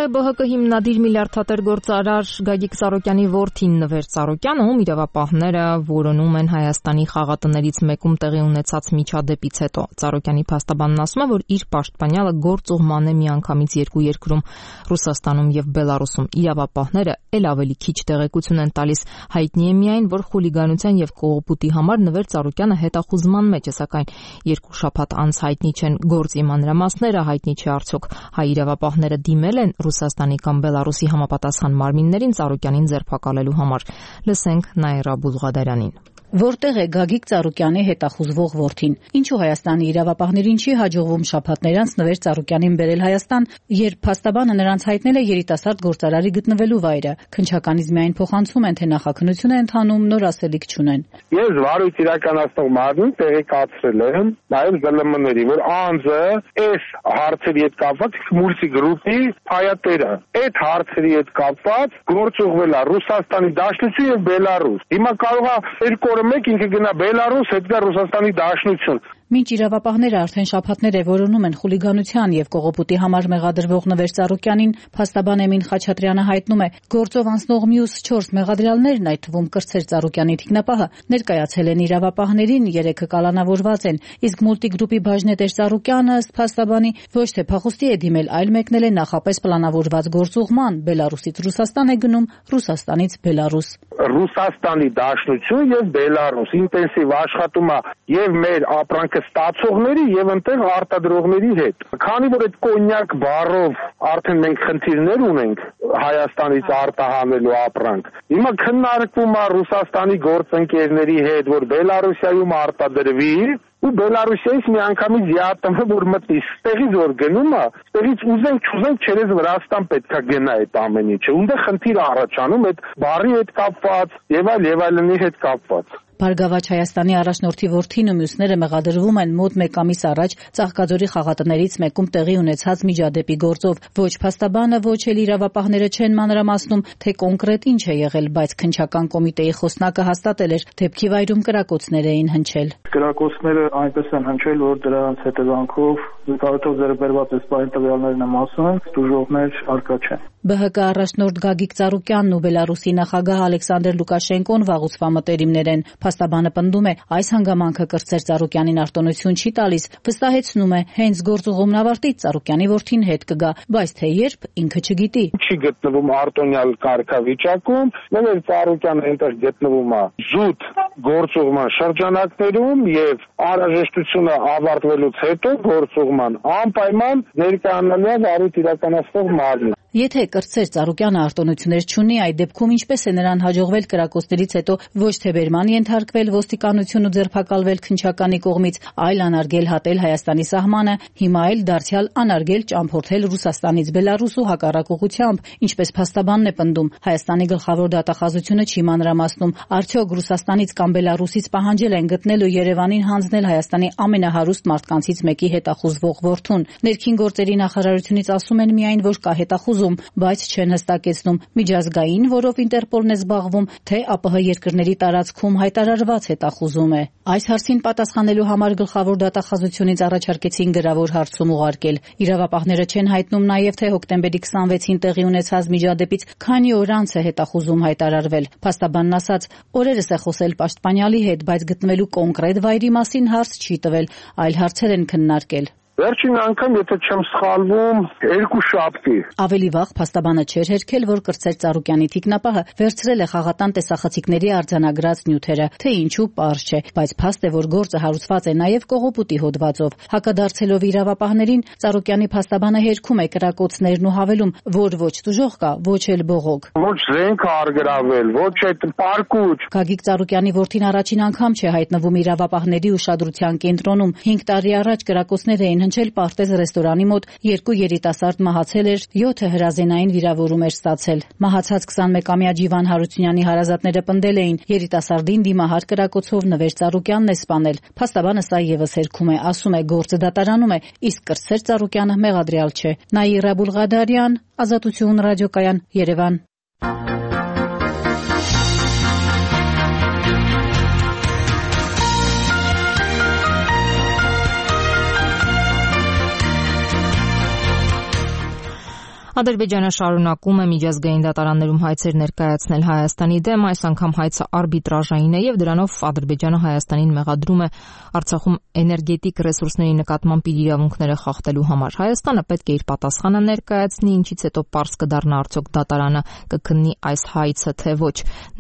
ԲՀԿ հիմնադիր միլիարդատեր գործարար Գագիկ Ծառուկյանի որդին Նվեր Ծառուկյանը, ում իրավապահները որոնում են Հայաստանի խաղատներից մեկում տեղի ունեցած միջադեպից հետո։ Ծառուկյանի փաստաբանն ասում է, որ իր պաշտպանյալը գործուղման է միանգամից երկու երկրում՝ Ռուսաստանում եւ Բելարուսում։ Իրավապահները ել ավելի քիչ տեղեկություն են տալիս։ Հայտնի է միայն, որ խուլիգանության եւ կողոպուտի համար Նվեր Ծառուկյանը հետախուզման մեջ է, սակայն երկու շաբաթ անց հայտնի չեն գործի մանրամասները, հայտնի չէ արդյոք հայ իրավապահները դիմել են Ռուսաստանի կամ Բելարուսի համապատասխան մարմիններին Ծառուկյանին ձերբակալելու համար։ Լսենք Նաիրա Բուլղադարյանին։ Որտեղ է Գագիկ Ծառուկյանի հետախուզվող որդին։ Ինչու Հայաստանի իրավապահներին չի հաջողվում շաբաթներ անց Նվեր Ծառուկյանին բերել Հայաստան, երբ փաստաբանը նրանց հայտնել է երիտասարդ գործարարի գտնվելու վայրը։ Քննչականից միայն փոխանցում են, թե նախաքննություն է ընթանում, նոր ասելիք չունեն։ Ես վարույթ իրականացնող մարմին տեղեկացրել եմ նաև ԶԼՄ-ների, որ անձը այս հարցերի հետ կապված մուլտի գրուպի հայատերը այդ հարցերի հետ կապված գործուղվել է Ռուսաստանի Դաշնություն եւ Բելարուս։ Հիմա կարող է երկու օրը մեկ ինքը գնա Բելարուս, հետ գա Ռուսաստանի Դաշնություն։ Մինչ իրավապահները արդեն շաբաթներ է որոնում են խուլիգանության եւ կողոպուտի համար մեղադրվող Նվեր Ծառուկյանին, փաստաբան Էմին Խաչատրյանը հայտնում է, գործով անցնող մյուս 4 մեղադրյալներն, այդ թվում Կրտսեր Ծառուկյանի թիկնապահը, ներկայացել են իրավապահներին, 3-ը կալանավորված են, իսկ մուլտիգրուպի բաժնետեր Ծառուկյանը, ըստ փաստաբանի, ոչ թե փախուստի է դիմել, այլ մեկնել է նախապես պլանավորված գործուղման, Բելարուսից Ռուսաստան է գնում, Ռուսաստանից Բելարուս։ Ռուսաստանի Դաշնություն եւ Բելարուս ինտենսիվ աշխատում է եւ մեր ապրանքը ստացողների եւ այնտեղ արտադրողների հետ։ Քանի որ այդ կոնյակ բառով արդեն մենք խնդիրներ ունենք Հայաստանից արտահանելու ապրանք, հիմա քննարկվում է Ռուսաստանի գործընկերների հետ, որ Բելարուսիայում արտադրվի ու Բելարուսիայից միանգամից ԵԱՏՄ որ մտնի, ստեղից որ գնում է, ստեղից ուզենք չուզենք չերես Վրաստան պետքա գնա այդ ամեն ինչը։ Ունդե խնդիր առաջանում այդ բառի հետ կապված եւ այլնի հետ կապված։ Բարգավաճ Հայաստանի առաջնորդի որդին ու մյուսները մեղադրվում են մոտ 1 ամիս առաջ Ծաղկաձորի խաղատներից մեկում տեղի ունեցած միջադեպի գործով։ Ոչ փաստաբանը, ոչ էլ իրավապահները չեն մանրամասնում, թե կոնկրետ ինչ է եղել, բայց քննչական կոմիտեի խոսնակը հաստատել էր, դեպքի վայրում կրակոցներ էին հնչել։ Կրակոցները այնպես են հնչել, որ դրանց հետևանքով զուգահեռ ձեռբերված էսպայն տվյալներն եմ ասում, դժողներ արկա չեն։ ԲՀԿ առաջնորդ Գագիկ Ծառուկյանն ու Բելարուսի նախագահ Ալեքսանդր Լուկաշենկոն վաղուց մտերիմներ են։ Փաստաբանը պնդում է, այս հանգամանքը Կրտսեր Ծառուկյանին արտոնություն չի տալիս, վստահեցնում է, հենց գործուղումն ավարտից Ծառուկյանի որդին հետ կգա, բայց թե երբ ինքը չգիտի։ Չի գտնվում արտոնյալ կարգավիճակում, Նվեր Ծառուկյանը այնտեղ գտնվում է զուտ գործուղման շրջանակներում եւ անհրաժեշտությունը ավարտվելուց հետո գործուղման անպայման ներկայանալու է վարույթ իրականացնող մարմին։ Եթե Կրտսեր Ծառուկյանը արտոնություններ չունի, այդ դեպքում ինչպես է նրան հաջողվել կրակոցներից հետո ոչ թե բերման ենթարկվել ոստիկանություն ու ձերբակալվել քննչականի կողմից, այլ անարգել հատել Հայաստանի սահմանը, հիմա էլ դարձյալ անարգել ճամփորդել Ռուսաստանից Բելարուս ու հակառակ ուղղությամբ, ինչպես փաստաբանն է պնդում, Հայաստանի գլխավոր դատախազությունը չի մանրամասնում, արդյոք Ռուսաստանից կամ Բելարուսից պահանջել են գտնել ու Երևանին հանձնել Հայաստանի ամենահարուստ մարդկանցից մեկի հետախուզվող որդուն։ Ներքին գործերի նախարարությունից ասում են միայն, որ կա հետախուզում, բայց չեն հստակեցնում միջազգային, որով Ինտերպոլն է զբաղվում, թե ԱՊՀ երկրների տարածքում հայտարարված հետախուզում է։ Այս հարցին պատասխանելու համար գլխավոր դատախազությունից առաջարկեցին գրավոր հարցում ուղարկել։ Իրավապահները չեն հայտնում նաև, թե հոկտեմբերի 26-ին տեղի ունեցած միջադեպից քանի օր անց է հետախուզում հայտարարվել։ Փաստաբանն ասաց, օրերս է խոսել պաշտպանյալի հետ, բայց գտնվելու կոնկրետ վայրի մասին հարց չի տվել, այլ հարցեր են քննարկել։ Վերջին անգամ, եթե չեմ սխալվում, 2 շաբթի։ Ավելի վաղ փաստաբանը չէր հերքել, որ Կրտսեր Ծառուկյանի թիկնապահը վերցրել է խաղատան տեսախցիկների արձանագրած նյութերը, թե ինչու պարզ չէ, բայց փաստ է, որ գործը հարուցված է նաև կողոպուտի հոդվածով։ Հակադարձելով իրավապահներին, Ծառուկյանի փաստաբանը հերքում է կրակոցներն ու հավելում, որ ոչ դժող կա, ոչ էլ բողոք։ Ոչ զենք արգրավել, ոչ այդ պարկուճ։ Գագիկ Ծառուկյանի որդին առաջին անգամ չէ հայտնվում իրավապահների ուշադրության կենտրոնում։ 5 տարի առաջ կրակոցներ էին հնչել Պարտեզ ռեստորանի մոտ, 2 երիտասարդ մահացել էր, 7-ը հրազենային վիրավորում էր ստացել։ Մահացած 21-ամյա Ջիվան Հարությունյանի հարազատները պնդել էին, երիտասարդին դիմահար կրակոցով Նվեր Ծառուկյանն է սպանել։ Փաստաբանը սա եւս հերքում է, ասում է գործը դատարանում է, իսկ Կրտսեր Ծառուկյանը մեղադրյալ չէ։ Նաիրա Բուլղադարյան, Ազատություն ռադիոկայան, Երևան։ Ադրբեջանը շարունակում է միջազգային դատարաններում հայցեր ներկայացնել Հայաստանի դեմ, այս անգամ հայցը արբիտրաժային է եւ դրանով Ադրբեջանը Հայաստանին մեղադրում է Արցախում էներգետիկ ռեսուրսների նկատմամբ իր իրավունքները խախտելու համար։ Հայաստանը պետք է իր պատասխանը ներկայացնի, ինչից հետո պարզ կդառնա արդյոք դատարանը կքննի այս հայցը թե ոչ։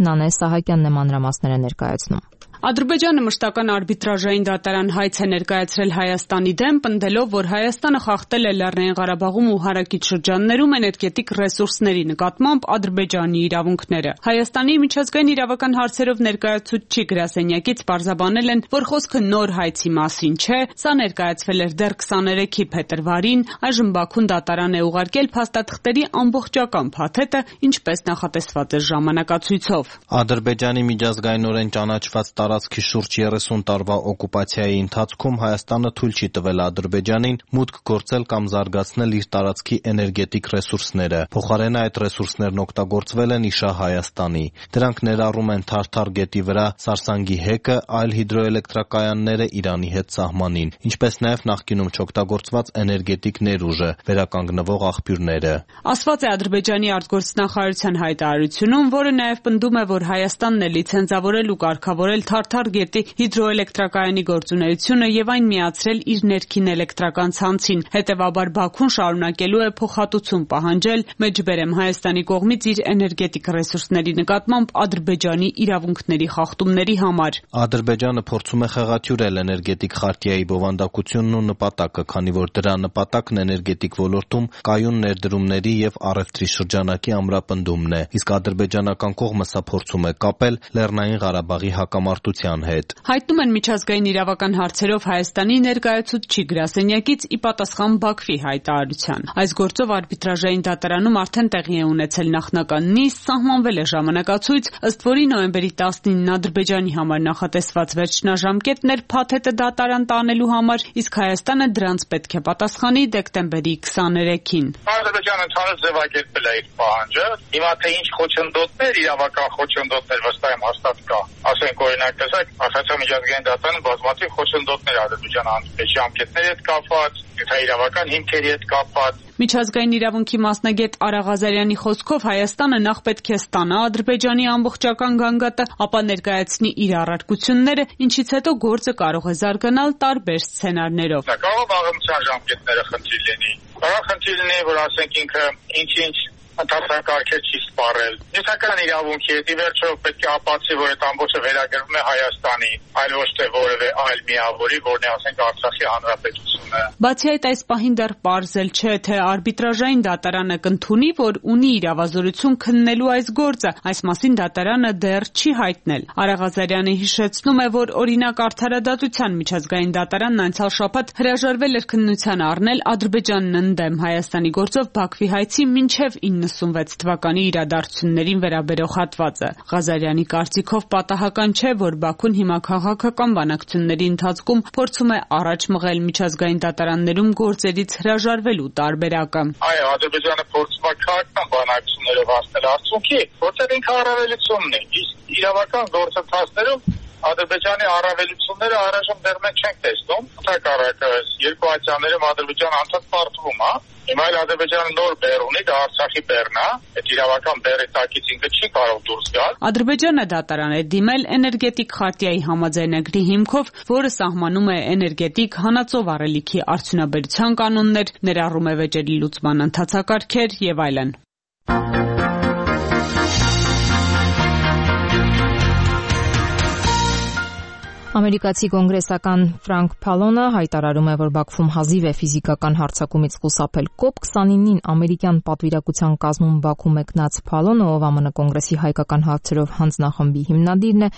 Նանե Սահակյանն է մանրամասները ներկայացնում։ Ադրբեջանը մշտական արբիտրաժային դատարան հայց է ներկայացրել Հայաստանի դեմ, պնդելով, որ Հայաստանը խախտել է Լեռնային Ղարաբաղում ու հարակից շրջաններում էներգետիկ ռեսուրսների նկատմամբ Ադրբեջանի իրավունքները։ Հայաստանի միջազգային իրավական հարցերով ներկայացուցիչ գրասենյակից պարզաբանել են, որ խոսքը նոր հայցի մասին չէ, սա ներկայացվել էր դեռ 23-ի փետրվարին, այժմ Բաքուն դատարան է ուղարկել փաստաթղթերի ամբողջական փաթեթը, ինչպես նախատեսված էր ժամանակացույցով։ Ադրբեջանի միջազգայինորեն ճանաչված տարածքի շուրջ 30 տարվա օկուպացիայի ընթացքում Հայաստանը թույլ չի տվել Ադրբեջանին մուտք գործել կամ զարգացնել իր տարածքի էներգետիկ ռեսուրսները։ Փոխարենը այդ ռեսուրսներն օգտագործվել են իշահ Հայաստանի։ Դրանք ներառում են Թարթար գետի վրա Սարսանգի հեկը, այլ հիդրոէլեկտրակայանները Իրանի հետ սահմանին, ինչպես նաև նախկինում չօգտագործված էներգետիկ ներուժը, վերականգնվող աղբյուրները։ Ասված է Ադրբեջանի արտգործնախարարության հայտարարությունում, որը նաև պնդում է, որ Հայաստանն է լիցենզավորել ու կարգավորել Թարթար գետի հիդրոէլեկտրակայանի գործունեությունը եւ այն միացրել իր ներքին էլեկտրական ցանցին։ Հետևաբար Բաքուն շարունակելու է փոխհատուցում պահանջել Մեջբերեմ Հայաստանի կողմից իր էներգետիկ ռեսուրսների նկատմամբ Ադրբեջանի իրավունքների խախտումների համար։ Ադրբեջանը փորձում է խեղաթյուրել էներգետիկ խարտիայի բովանդակությունն ու նպատակը, քանի որ դրա նպատակն էներգետիկ ոլորտում կայուն ներդրումների եւ առևտրի շրջանակի ամրապնդումն է, իսկ ադրբեջանական կողմը սա փորձում է կապել Լեռնային Ղարաբաղի հակամարտության հետ։ Հայտնում են միջազգային իրավական հարցերով Հայաստանի ներկայացուցիչ գրասենյակից ի պատասխան Բաքվի հայտարարության։ Այս գործով արբիտրաժային դատարանում արդեն տեղի է ունեցել նախնական նիստ, սահմանվել է ժամանակացույց, ըստ որի նոյեմբերի 19-ին Ադրբեջանի համար նախատեսված վերջնաժամկետն էր փաթեթը դատարան տանելու համար, իսկ Հայաստանը դրանց պետք է պատասխանի դեկտեմբերի 23-ին։ Ադրբեջանը ընդհանուր ձևակերպել է իր պահանջը։ Հիմա թե ինչ խոչընդոտներ, իրավական խոչընդոտներ վստահ եմ հաստատ կա։ Ասենք օրինակ տեսակ, Արցախի միջազգային դատարանը բազմաթիվ խոչընդոտներ Ադրբեջանի հանդեպ ժամկետների հետ կապված, իրավական հիմքերի հետ կապված։ Միջազգային իրավունքի մասնագետ Արա Ղազարյանի խոսքով Հայաստանը նախ պետք է ստանա Ադրբեջանի ամբողջական գանգատը, ապա ներկայացնի իր առարկությունները, ինչից հետո գործը կարող է զարգանալ տարբեր սցենարներով։ Կարող վաղեմության ժամկետները խնդիր լինի։ Կարող խնդիր լինի, որ ասենք ինքը ինչ-ինչ ընթացակարգեր չի սպառել։ Նյութական իրավունքի հետ ի վերջո պետք է ապացուցի, որ այդ ամբողջը վերագրվում է Հայաստանի, այլ ոչ թե որևէ այլ միավորի, որն է ասենք Արցախի հանրապետությունը։ Բացի այդ, այս պահին դեռ պարզել չէ, թե արբիտրաժային դատարանը կընդունի, որ ունի իրավազորություն քննելու այս գործը։ Այս մասին դատարանը դեռ չի հայտնել։ Արա Ղազարյանը հիշեցնում է, որ օրինակ Արդարադատության միջազգային դատարանն անցյալ շաբաթ հրաժարվել էր քննության առնել Ադրբեջանն ընդդեմ Հայաստանի գործով Բաքվի հայցի մինչև 96 թվականի իրադարձություններին վերաբերող հատվածը։ Ղազարյանի կարծիքով պատահական չէ, որ Բաքուն հիմա քաղաքական բանակցությունների ընթացքում փորձում է առաջ մղել միջազգային դատարաններում գործերից հրաժարվելու տարբերակը։ Այո, Ադրբեջանը փորձում է քաղաքական բանակցություններով հասնել արդյունքի, որտեղ ինքը առավելությունն է։ Իսկ իրավական գործընթացներում Ադրբեջանի առավելությունները առայժմ դեռ մենք չենք տեսնում։ Ընդհակառակը երկու ատյաններում Ադրբեջանը անդադ պարտվում է։ Հիմա էլ Ադրբեջանը նոր բեռ ունի, դա Արցախի բեռն է։ Այդ իրավական բեռի տակից ինքը չի կարող դուրս գալ։ Ադրբեջանը դատարան է դիմել էներգետիկ խարտիայի համաձայնագրի հիմքով, որը սահմանում է էներգետիկ հանածով առելիքի արդյունաբերության կանոններ, ներառում է վեճերի լուծման ընթացակարգեր եւ այլն։ Ամերիկացի կոնգրեսական Ֆրանկ Փալոնը հայտարարում է, որ Բաքվում հազիվ է ֆիզիկական հարձակումից խուսափել։ COP29-ին ամերիկյան պատվիրակության կազմում Բաքու մեկնած Փալոնը, ով ԱՄՆ կոնգրեսի հայկական հարցերով հանձնախմբի հիմնադիրն է,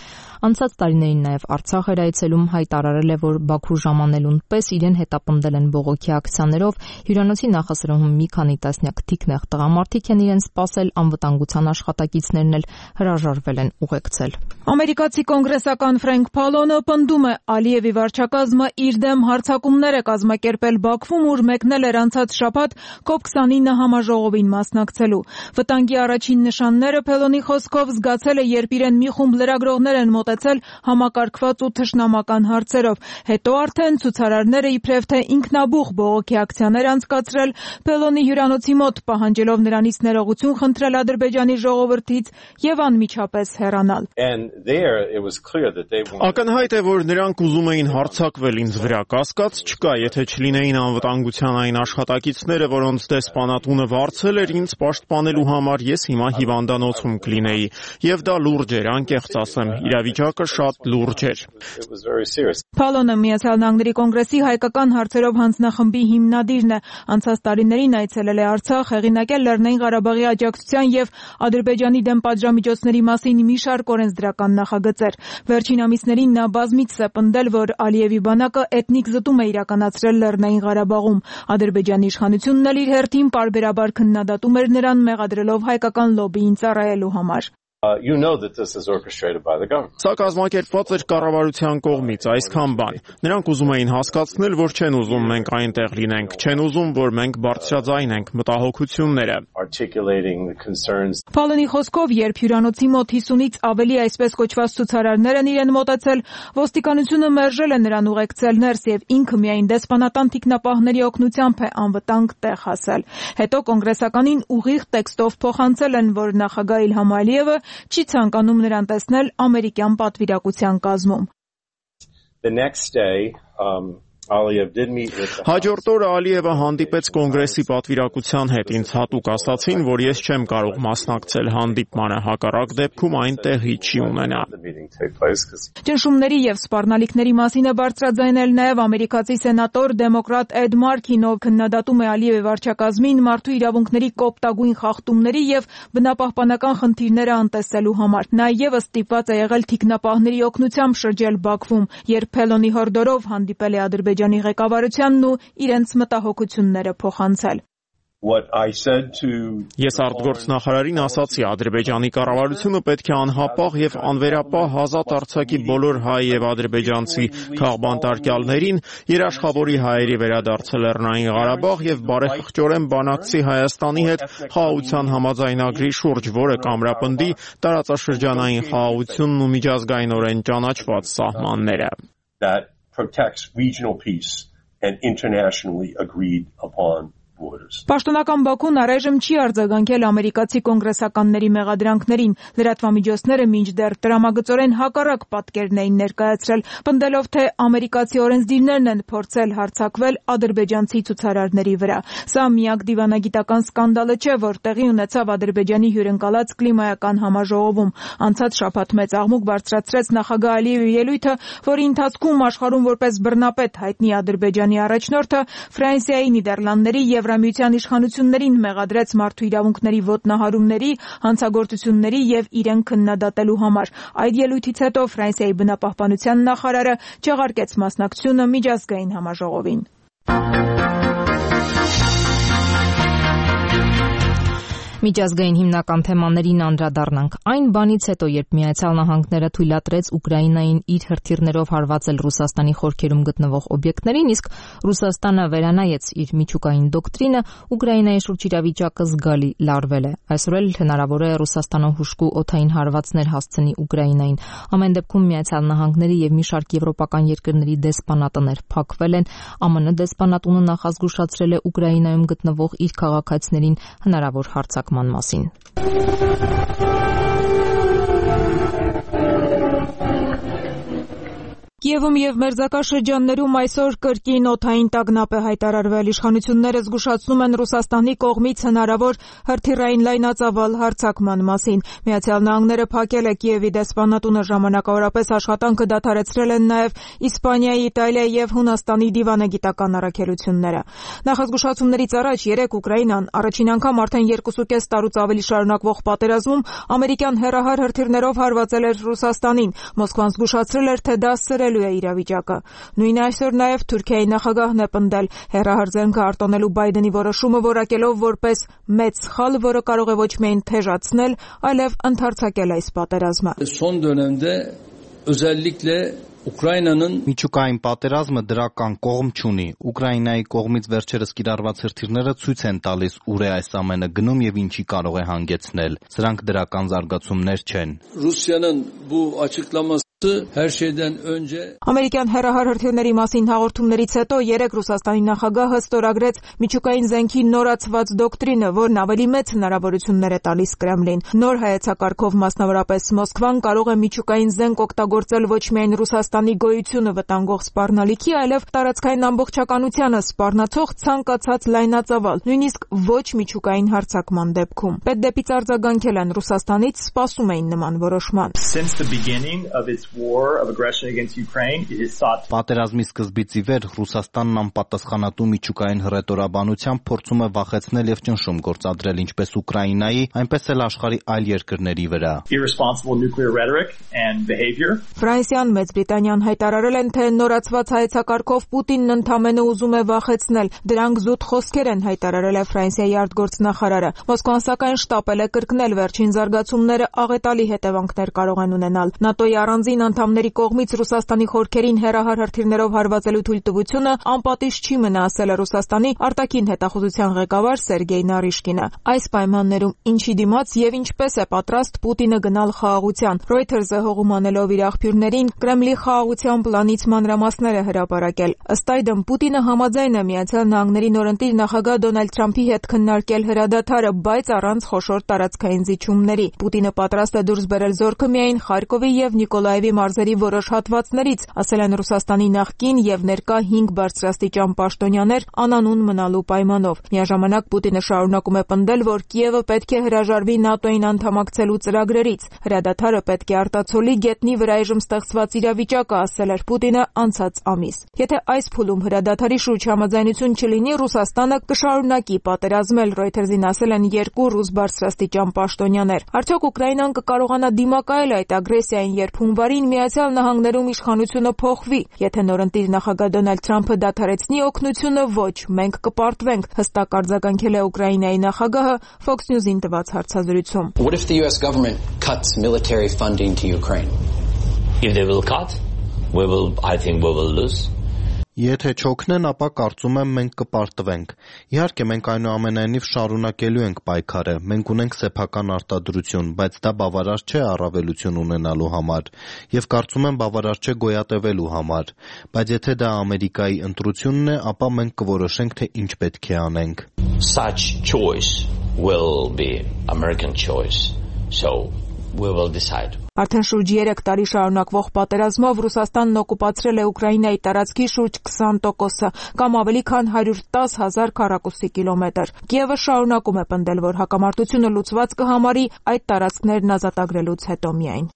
անցած տարիներին նաև Արցախ էր այցելում, հայտարարել է, որ Բաքու ժամանելուն պես իրեն հետապնդել են բողոքի ակցիաներով, հյուրանոցի նախասրահում մի քանի տասնյակ թիկնեղ տղամարդիկ են իրեն սպասել, անվտանգության աշխատակիցներն էլ հրաժարվել են ուղեկցել։ Ամերիկացի կոնգրեսական Ֆրանկ Փալոնը պնդում է, Ալիևի վարչակազմը իր դեմ հարձակումներ է կազմակերպել Բաքվում, ուր մեկնել էր անցած շաբաթ COP29 համաժողովին մասնակցելու։ Վտանգի առաջին նշանները Փելոնի խոսքով զգացել է, երբ իրեն մի խումբ լրագրողներ են մոտեցել համակարգված ու թշնամական հարցերով։ Հետո արդեն ցուցարարները իբրև թե ինքնաբուխ բողոքի ակցիաներ անցկացրել Փելոնի հյուրանոցի մոտ, պահանջելով նրանից ներողություն խնդրել Ադրբեջանի ժողովրդից եւ անմիջապես հեռանալ։ Ակնհայտ է, որ նրանք ուզում էին հարձակվել ինձ վրա, կասկած չկա, եթե չլինեին անվտանգության այն աշխատակիցները, որոնց դեսպանատունը վարձել էր ինձ պաշտպանելու համար, ես հիմա հիվանդանոցում կլինեի, եւ դա լուրջ էր, անկեղծ ասեմ, իրավիճակը շատ լուրջ էր։ Փալոնը Միացյալ Նահանգների կոնգրեսի հայկական հարցերով հանձնախմբի հիմնադիրն է, անցած տարիներին այցելել է Արցախ, հեղինակել Լեռնային Ղարաբաղի աջակցության եւ Ադրբեջանի դեմ պատժամիջոցների մասին մի շարք օրենսդրական նախագծեր։ Վերջին ամիսներին նա բազմիցս է պնդել, որ Ալիևի բանակը էթնիկ զտում է իրականացրել Լեռնային Ղարաբաղում։ Ադրբեջանի իշխանությունն էլ իր հերթին պարբերաբար քննադատում էր նրան, մեղադրելով հայկական լոբբիին ծառայելու համար։ Սա կազմակերպված էր կառավարության կողմից, այսքան բան։ Նրանք ուզում էին հասկացնել, որ չեն ուզում մենք այնտեղ լինենք, չեն ուզում, որ մենք բարձրաձայնենք մտահոգությունները։ Փալոնի խոսքով, երբ հյուրանոցի մոտ 50-ից ավելի այսպես կոչված ցուցարարներ են իրեն մոտեցել, ոստիկանությունը մերժել է նրան ուղեկցել ներս եւ ինքը միայն դեսպանատան թիկնապահների օգնությամբ է անվտանգ տեղ հասել։ Հետո կոնգրեսականին ուղիղ տեքստով փոխանցել են, որ նախագահ Իլհամ Ալիևը չի ցանկանում նրան տեսնել ամերիկյան պատվիրակության կազմում։ Հաջորդ օրը Ալիևը հանդիպեց կոնգրեսի պատվիրակության հետ, ինձ հատուկ ասացին, որ ես չեմ կարող մասնակցել հանդիպմանը, հակառակ դեպքում այն տեղի չի ունենա։ Ճնշումների եւ սպառնալիքների մասին է բարձրաձայնել նաեւ ամերիկացի սենատոր դեմոկրատ Էդ Մարքին, ով քննադատում է Ալիևի վարչակազմին մարդու իրավունքների կոպտագույն խախտումների եւ բնապահպանական խնդիրները անտեսելու համար։ Նա եւս ստիպված է եղել թիկնապահների օգնությամբ շրջել Բաքվում, երբ Փելոնի հորդորով հանդիպել է Ադրբեջանի ղեկավարությանն ու իրենց մտահոգությունները փոխանցել։ Ես արտգործնախարարին ասացի, Ադրբեջանի կառավարությունը պետք է անհապաղ եւ անվերապահ ազատ արձակի բոլոր հայ եւ ադրբեջանցի քաղբանտարկյալներին, երաշխավորի հայերի վերադարձել Լեռնային Ղարաբաղ եւ բարեխղճորեն բանակցի Հայաստանի հետ խաղաղության համաձայնագրի շուրջ, որը կամրապնդի տարածաշրջանային խաղաղությունն ու միջազգայինորեն ճանաչված սահմանները։ Protects regional peace and internationally agreed upon borders. Պաշտոնական Բաքուն առայժմ չի արձագանքել ամերիկացի կոնգրեսականների մեղադրանքներին։ Լրատվամիջոցները մինչդեռ տրամագծորեն հակառակ պատկերն էին ներկայացրել, պնդելով, թե ամերիկացի օրենսդիրներն են փորձել հարձակվել ադրբեջանցի ցուցարարների վրա։ Սա միակ դիվանագիտական սկանդալը չէ, որ տեղի ունեցավ Ադրբեջանի հյուրընկալած կլիմայական համաժողովում։ Անցած շաբաթ մեծ աղմուկ բարձրացրեց նախագահ Ալիևի ելույթը, որի ընթացքում աշխարհում որպես բռնապետ հայտնի Ադրբեջանի առաջնորդը Ֆրանսիայի, Նիդերլանդների եւ Եվրամիության իշխանություններին մեղադրեց մարդու իրավունքների ոտնահարումների, հանցագործությունների եւ իրեն քննադատելու համար։ Այդ ելույթից հետո Ֆրանսիայի բնապահպանության նախարարը չեղարկեց մասնակցությունը միջազգային համաժողովին։ Միջազգային հիմնական թեմաներին անդրադառնանք այն բանից հետո, երբ Միացյալ Նահանգները թույլատրեց Ուկրաինային իր հրթիռներով հարվածել Ռուսաստանի խորքերում գտնվող օբյեկտներին, իսկ Ռուսաստանը վերանայեց իր միջուկային դոկտրինը, Ուկրաինայի շուրջ իրավիճակը զգալի լարվել է։ Այսօր էլ հնարավոր է Ռուսաստանը հուժկու օդային հարվածներ հասցնի Ուկրաինային։ Ամեն դեպքում Միացյալ Նահանգների եւ մի շարք եվրոպական երկրների դեսպանատներ փակվել են։ ԱՄՆ դեսպանատունը նախազգուշացրել է Ուկրաինայում գտնվող իր քաղաքացիներին հնարավոր հարձակման մասին։ Կիևում եւ մերձակաշրջաններում այսօր կրկին օդային տագնապ է հայտարարվել։ Իշխանությունները զգուշացնում են Ռուսաստանի կողմից հնարավոր հրթիռային լայնածավալ հարձակման մասին։ Միացյալ Նահանգները փակել է Կիևի դեսպանատունը, ժամանակավորապես աշխատանքը դադարեցրել են նաեւ Իսպանիայի, Իտալիայի եւ Հունաստանի դիվանագիտական առաքելությունները։ Նախազգուշացումներից առաջ երեկ Ուկրաինան առաջին անգամ արդեն 2.5 տարուց ավելի շարունակվող պատերազմում ամերիկյան հեռահար հրթիռներով հարվածել էր Ռուսաստանին։ Մոսկվան զգուշացրել էր, թե դա սրելու է իրավիճակը։ Նույն այսօր նաև Թուրքիայի նախագահն է պնդել հեռահար զենքը արտոնելու Բայդենի որոշումը որակելով որպես մեծ սխալ, որը կարող է ոչ միայն թեժացնել, այլև ընդարձակել այս պատերազմը։ Son dönemde özellikle Միջուկային պատերազմը դրական կողմ չունի։ Ուկրաինայի կողմից վերջերս կիրառված հրթիռները ցույց են տալիս ուր է այս ամենը գնում եւ ինչի կարող է հանգեցնել։ Սրանք դրական զարգացումներ չեն։ Ամերիկյան հեռահար հրթիռների մասին հաղորդումներից հետո երեկ Ռուսաստանի նախագահը ստորագրեց միջուկային զենքի նորացված դոկտրինը, որն ավելի մեծ հնարավորություններ է տալիս Կրեմլին։ Նոր հայեցակարգով մասնավորապես Մոսկվան կարող է միջուկային զենք օգտագործել ոչ միայն Ռուսաստանի գոյությունը վտանգող սպառնալիքի, այլև տարածքային ամբողջականությանը սպառնացող ցանկացած լայնածավալ, նույնիսկ ոչ միջուկային հարձակման դեպքում։ Պետդեպից արձագանքել են Ռուսաստանից, սպասում էին նման որոշման։ Պատերազմի սկզբից ի վեր Ռուսաստանն անպատասխանատու միջուկային հռետորաբանությամբ փորձում է վախեցնել եւ ճնշում գործադրել ինչպես Ուկրաինայի, այնպես էլ աշխարհի այլ երկրների վրա։ Ֆրանսիան, Մեծ Բրիտանիան հայտարարել են, թե նորացված հայեցակարգով Պուտինն ընդամենը ուզում է վախեցնել։ Դրանք զուտ խոսքեր են, հայտարարել է Ֆրանսիայի արտգործնախարարը։ Մոսկվան սակայն շտապել է կրկնել վերջին զարգացումները աղետալի հետևանքներ կարող են ունենալ։ ՆԱՏՕ-ի առանձին անդամների կողմից Ռուսաստանի խորքերին հեռահար հրթիռներով հարվածելու թույլտվությունը անպատիժ չի մնա, ասել է Ռուսաստանի արտաքին հետախուզության ղեկավար Սերգեյ Նարիշկինը։ Այս պայմաններում ինչի դիմաց եւ ինչպես է պատրաստ Պուտինը գնալ խաղաղության։ Reuters-ը հողում անելով իր աղբյուրներին Կրեմլի խաղաղության պլանից մանրամասներ է հրապարակել։ Ըստ այդմ Պուտինը համաձայն է ԱՄՆ-ի նորընտիր նախագահ Դոնալդ Թրամփի հետ քննարկել հրադադարը, բայց առանց խոշոր տարածքային զիջումների։ Պուտինը պատրաստ է դուրս բերել զորքը միայն Խարկովի եւ Նիկոլաևի մարզերի որոշ հատվածներից, ասել են Ռուսաստանի նախկին եւ ներկա 5 բարձրաստիճան պաշտոնյաներ անանուն մնալու պայմանով։ Միաժամանակ Պուտինը շարունակում է պնդել, որ Կիևը պետք է հրաժարվի ՆԱՏՕ-ին անդամակցելու ծրագրերից։ Հրադադարը պետք է արտացոլի գետնի վրա այժմ ստեղծված իրավիճակը, ասել էր Պուտինը անցած ամիս։ Եթե այս փուլում հրադադարի շուրջ համաձայնություն չլինի, Ռուսաստանը կշարունակի պատերազմել, Reuters-ին ասել են 2 ռուս բարձրաստիճան պաշտոնյաներ։ Արդյոք Ուկրաինան կկարողանա դիմակայել այդ ագրեսիային, երբ հունվարին Միացյալ Նահանգներում իշխանությունը փոխվի։ Եթե նորընտիր նախագահ Դոնալդ Թրամփը դադարեցնի օգնությունը, ոչ, մենք կպարտվենք, հստակ արձագանքել է Ուկրաինայի նախագահը Fox News-ին տված հարցազրույցում։ What if the US government cuts military funding to Ukraine? If they will cut, I think we will lose. Եթե չօգնեն, ապա կարծում եմ մենք կպարտվենք։ Իհարկե մենք այնուամենայնիվ շարունակելու ենք պայքարը։ Մենք ունենք սեփական արտադրություն, բայց դա բավարար չէ առավելություն ունենալու համար, եւ կարծում եմ բավարար չէ գոյատևելու համար։ Բայց եթե դա Ամերիկայի ընտրությունն է, ապա մենք կորոշենք, թե ինչ պետք է անենք։ Such choice will be American choice. So we will decide. Արդեն շուրջ 3 տարի շարունակվող պատերազմով Ռուսաստանն օկուպացրել է Ուկրաինայի տարածքի շուրջ 20%-ը, կամ ավելի քան 110,000 քառակուսի կիլոմետր։ Կիևը շարունակում է պնդել, որ հակամարտությունը լուծված կհամարի այդ տարածքներն ազատագրելուց հետո միայն։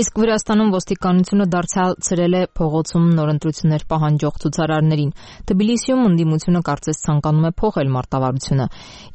Իսկ Վրաստանում ոստիկանությունը դարձյալ է փողոցում նորընտրություններ պահանջող ցուցարարներին։ Թբիլիսիում ընդդիմությունը կարծես ցանկանում է փոխել մարտավարությունը։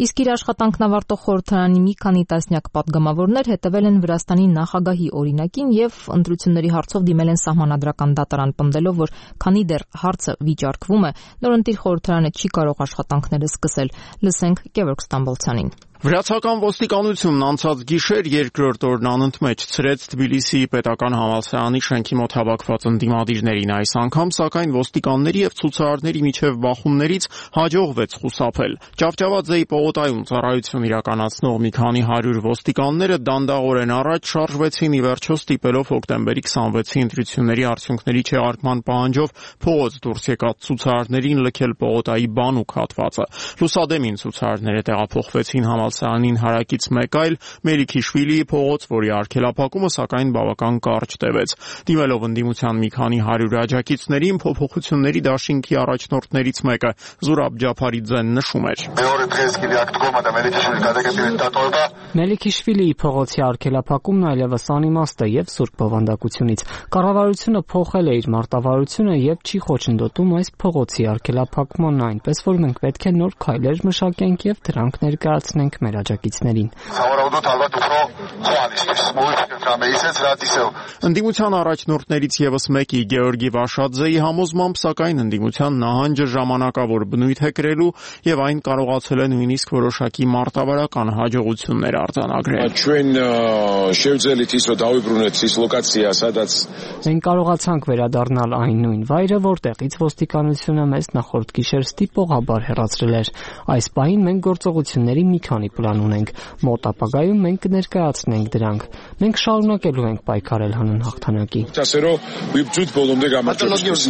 Իսկ իր աշխատանքն ավարտող խորհրդարանի մի քանի տասնյակ падգամավորներ հետևել են Վրաստանի նախագահի օրինակին եւ ընտրությունների հարցով դիմել են սահմանադրական դատարան, պնդելով, որ քանի դեռ հարցը վիճարկվում է, նորընտիր խորհրդարանը չի կարող աշխատանքները սկսել։ Լսենք Գևորգ Ստամբոլցյանին։ Վրացական ոստիկանությունն անցած գիշեր երկրորդ օրն անընդմեջ ցրեց Թբիլիսիի պետական համալսարանի շենքի մոտ հավաքված ընդդիմադիրներին։ Այս անգամ սակայն ոստիկանների եւ ցուցարարների միջև բախումներից հաջողվեց խուսափել։ Ճավճավաձեի պողոտայում ծառայություն իրականացնող մի քանի 100 ոստիկանները դանդաղորեն առաջ շարժվեցին, ի վերջո ստիպելով հոկտեմբերի 26-ի ընտրությունների արդյունքների չեղարկման պահանջով փողոց դուրս եկած ցուցարարներին լքել պողոտայի բանուկ հատվածը։ Լուսադեմին ցուցարարները տեղափոխվեցին համալսարանին հարակից մեկ այլ Մելիքիշվիլիի փողոց, որի արգելափակումը սակայն բավական կարճ տևեց։ Դիմելով ընդդիմության մի քանի 100 աջակիցներին, փոփոխությունների դաշինքի առաջնորդներից մեկը Զուրաբ Ջափարիձեն նշում էր. Մելիքիշվիլիի փողոցի արգելափակումն այլևս անիմաստ է եւ սուրբ բովանդակությունից։ Կառավարությունը փոխել է իր մարտավարությունը եւ չի խոչընդոտում այս փողոցի արգելափակմանն, այնպես որ մենք պետք է նոր քայլեր մշակենք եւ դրանք ներկայացնենք մեր աջակիցներին։ Ընդդիմության առաջնորդներից եւս մեկի Գեորգի Վաշաձեի համոզմամբ, սակայն ընդդիմության նահանջը ժամանակավոր բնույթ է կրելու եւ այն կարողացել է նույնիսկ որոշակի մարտավարական հաջողություններ արձանագրել։ Մենք կարողացանք վերադառնալ այն նույն վայրը, որտեղից ոստիկանությունը մեզ նախորդ գիշեր ստիպողաբար հեռացրել էր։ Այս պահին մենք գործողությունների մի քանի պլան ունենք։ Մոտ ապագայում մենք կներկայացնենք դրանք։ Մենք շարունակելու ենք պայքարել հանուն հաղթանակի։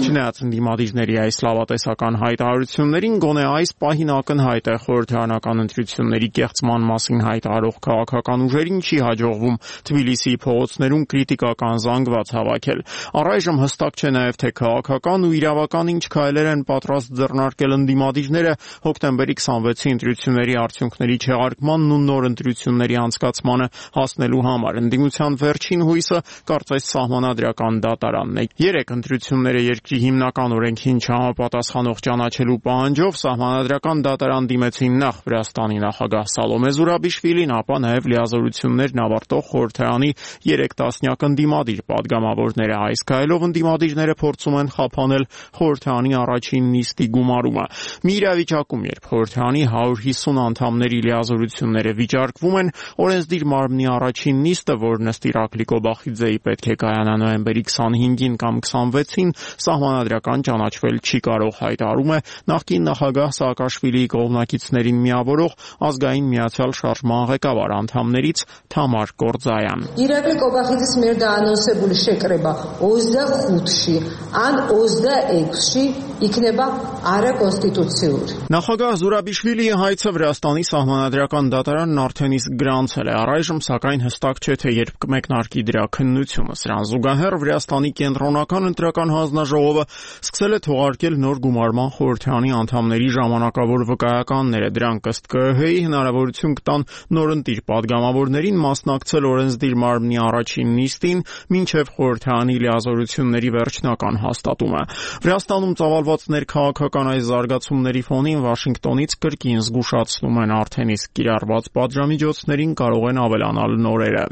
Չնայած ընդդիմադիրների այս լավատեսական հայտարարություններին, գոնե այս պահին ակնհայտ է խորհրդարանական ընտրությունների կեղծման մասին հայտարարող քաղաքական ուժերին չի հաջողվում Թբիլիսիի փողոցներում կրիտիկական զանգված հավաքել։ Առայժմ հստակ չէ նաև թե քաղաքական ու իրավական ինչ քայլեր են պատրաստ ձեռնարկել ընդդիմադիրները հոկտեմբերի 26-ի ընտրությունների արդյունքների չեղարկմանն ու նոր ընտրությունների անցկացմանը հասնելու համար։ Ընդդիմության վերջին հույսը կարծես սահմանադրական դատարանն է։ 3 ընտրությունները երկրի հիմնական օրենքին չհամապատասխանող ճանաչելու պահանջով սահմանադրական դատարան դիմեցին նախ Վրաստանի նախագահ Սալոմե Զուրաբիշվիլին, ապա նաև լիազորություններն ավարտող խորհրդարանի 3 տասնյակ ընդդիմադիր падգամավորները։ Այս քայլով ընդդիմադիրները փորձում են խափանել խորհրդարանի առաջին նիստի գումարումը։ Մի իրավիճակում, երբ խորհրդարանի 150 անդամների լիազորությունները վիճարկվում են, օրենսդիր մարմնի առաջին նիստը, որն ըստ Իրակլի Կոբախիձեի պետք է կայանա նոյեմբերի 25-ին կամ 26-ին, սահմանադրական ճանաչվել չի կարող, հայտարարում է նախկին նախագահ Սաակաշվիլիի կողմնակիցներին միավորող ազգային միացյալ շարժման ղեկավար անդամներից Թամար Կորձայան։ Իրակլի Կոբախիձես մեր դա անոնսებული շեկրեբա 25-ի, ան 26-ի իքնեբա արա կոնստիտուցիուր։ Նախագահ Զուրաբիշվիլիի հայցը Վրաստանի սահմանադրական դատարանն արդեն իսկ գրանցել է։ Առայժմ սակայն հստակ չէ, թե երբ կմեկնարկի դրա քննությունը։ Սրան զուգահեռ Վրաստանի կենտրոնական ընտրական հանձնաժողովը սկսել է թողարկել նոր գումարման խորհրդարանի անդամների ժամանակավոր վկայականները։ Դրանք ըստ ԿԸՀ-ի հնարավորություն կտան նորընտիր падգամավորներին մասնակցել օրենսդիր մարմնի առաջին նիստին մինչև խորհրդարանի լիազորությունների վերջնական հաստատումը։ Վրաստանում ծավալված ներքաղաքական այս զարգացումների ֆոնին Վաշինգտոնից կրկին զգուշացնում են արդեն իսկ կիրառված պատժամիջոցներին կարող են ավելանալ նորերը։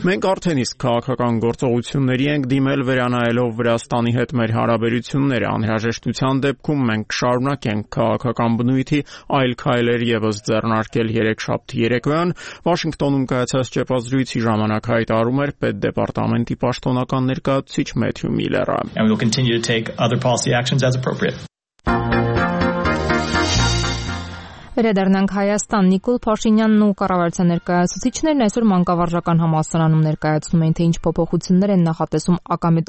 Մենք արդեն իսկ քաղաքական գործողությունների ենք դիմել վերանայելով Վրաստանի հետ մեր հարաբերությունները։ Անհրաժեշտության դեպքում մենք կշարունակենք քաղաքական բնույթի այլ քայլեր եւս ձեռնարկել։ Երեքշաբթի երեկոյան Վաշինգտոնում կայացած ճեպազրույցի ժամանակ հայտարարում էր պետդեպարտամենտի պաշտոնական ներկայացուցիչ Մեթյու Միլլերը։ And we will continue to take other policy actions as appropriate. Վերադառնանք Հայաստան։ Նիկոլ Փաշինյանն ու կառավարության ներկայացուցիչներն այսօր մանկավարժական համալսարանում ներկայացնում էին, թե ինչ փոփոխություններ են նախատեսում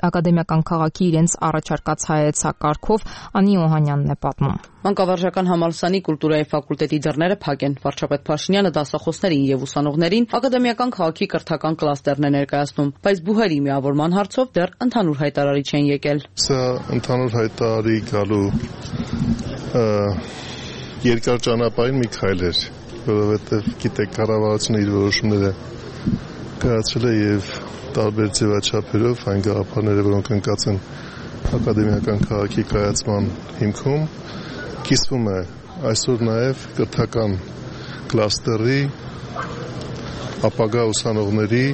ակադեմիական քաղաքի իրենց առաջարկած հայեցակարգով։ Անի Օհանյանն է պատմում։ Մանկավարժական համալսարանի կուլտուրայի ֆակուլտետի դռները փակ են։ Վարչապետ Փաշինյանը դասախոսներին եւ ուսանողներին ակադեմիական քաղաքի կրթական կլաստերն է ներկայացնում, բայց բուհերի միավորման հարցով դեռ ընդհանուր հայտարարի չեն եկել։ Սա ընդհանուր հայտարարի գալու երկար ճանապարհին մի քայլ էր, որովհետև գիտեք կառավարությունը իր որոշումները կայացրել է եւ տարբեր ձևաչափերով այն գաղափարները, որոնք ընկած են ակադեմիական քաղաքի կայացման հիմքում, կիսվում է այսօր նաեւ կրթական կլաստերի ապագա ուսանողների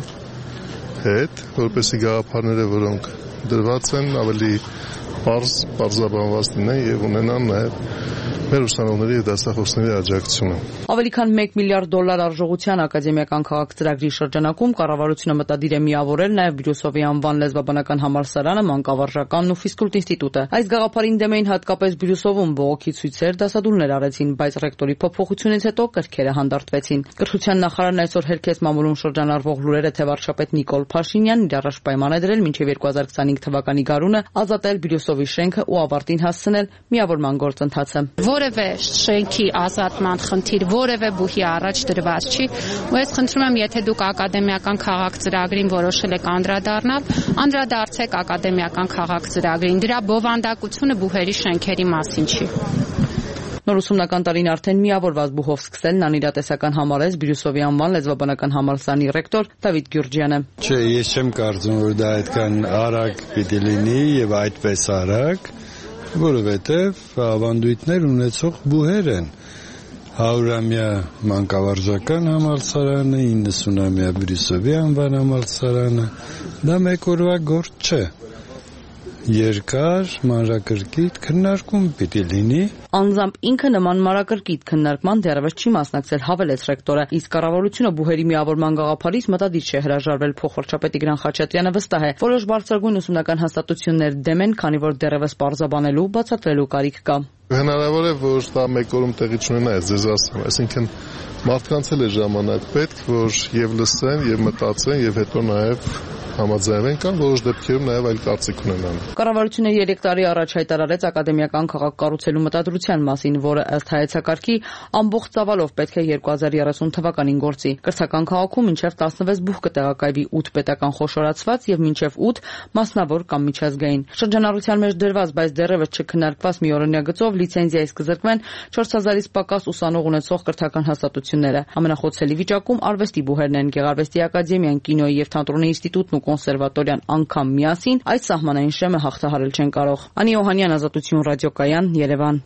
հետ, որպեսզի գաղափարները, որոնք դրված են, ավելի պարզաբանված լինեն եւ ունենան նաեւ մեր ուսանողների եւ դասախոսների աջակցությունը։ Ավելի քան $1 միլիարդ արժողության ակադեմիական քաղաք ծրագրի շրջանակում կառավարությունը մտադիր է միավորել նաեւ Բիրյուսովի անվան լեզվաբանական համալսարանը, մանկավարժականն ու ֆիզկուլտ ինստիտուտը։ Այս գաղափարին դեմ էին հատկապես Բիրյուսովում բողոքի ցույցեր, դասադուլներ արեցին, բայց ռեկտորի փոփոխությունից հետո կրքերը հանդարտվեցին։ Կրթության նախարարն այսօր հերքեց մամուլում շրջանառվող լուրերը, թե վարչապետ Նիկոլ Փաշինյանն իր առաջ պայման է դրել մինչև 2025 թվականի գարունը ազատել Բիրյուսովի շենքը ու ավարտին հասցնել միավորման գործընթացը։ Որևէ շենքի ազատման խնդիր որևէ բուհի առաջ դրված չի, ու ես խնդրում եմ, եթե դուք ակադեմիական քաղաք ծրագրին որոշել եք անդրադառնալ, անդրադարձեք ակադեմիական քաղաք ծրագրին։ Դրա բովանդակությունը բուհերի շենքերի մասին չի։ Նոր ուսումնական տարին արդեն միավորված բուհով սկսելն անիրատեսական համարեց Բիրյուսովի անվան լեզվաբանական համալսարանի ռեկտոր Դավիթ Գյուրջյանը։ Չէ, ես չեմ կարծում, որ դա այդքան արագ պիտի լինի եւ այդպես արագ, որովհետեւ ավանդույթներ ունեցող բուհեր են 100-ամյա մանկավարժական համալսարանը, 90-ամյա Բրյուսովի անվան համալսարանը, դա մեկ օրվա գործ չէ։ Երկար մանրակրկիտ քննարկում պիտի լինի։ Անձամբ ինքը նման մանրակրկիտ քննարկման դեռևս չի մասնակցել, հավելեց ռեկտորը, իսկ կառավարությունը բուհերի միավորման գաղափարից մտադիր չէ հրաժարվել։ Փոխվարչապետ Տիգրան Խաչատրյանը վստահ է, որոշ բարձրագույն ուսումնական հաստատություններ դեմ են, քանի որ դեռևս պարզաբանելու, բացատրելու կարիք կա։ Հնարավոր է, որ դա մեկ օրում տեղի չունենա, ձեզ ասեմ, այսինքն մարդկանց էլ է ժամանակ պետք, որ եւ լսեն, եւ մտածեն, եւ հետո նաեւ համաձայնվեն կամ որոշ դեպքերում նաև այլ կարծիք ունենան։ Կառավարությունը 3 տարի առաջ հայտարարեց ակադեմիական քաղաք կառուցելու մտադրության մասին, որը ըստ հայեցակարգի ամբողջ ծավալով պետք է 2030 թվականին գործի։ Կրթական քաղաքում մինչև 16 բուհ կտեղակայվի 8 պետական խոշորացված եւ մինչև 8 մասնավոր կամ միջազգային։ Շրջանառության մեջ դրված, բայց դեռևս չքննարկված մի օրինակ գծով լիցենզիայից կզրկվեն 4000-ից պակաս ուսանող ունեցող կրթական հաստատությունները։ Ամենախոցելի վիճակում արվեստի բուհերն են, Գեղարվեստի ակադեմիան, կինոյի եւ թատրոնի ինստիտուտն ու կոնսերվատորիան անգամ միասին այդ սահմանային շեմը հաղթահարել չեն կարող։ Անի Օհանյան, Ազատություն ռադիոկայան, Երևան։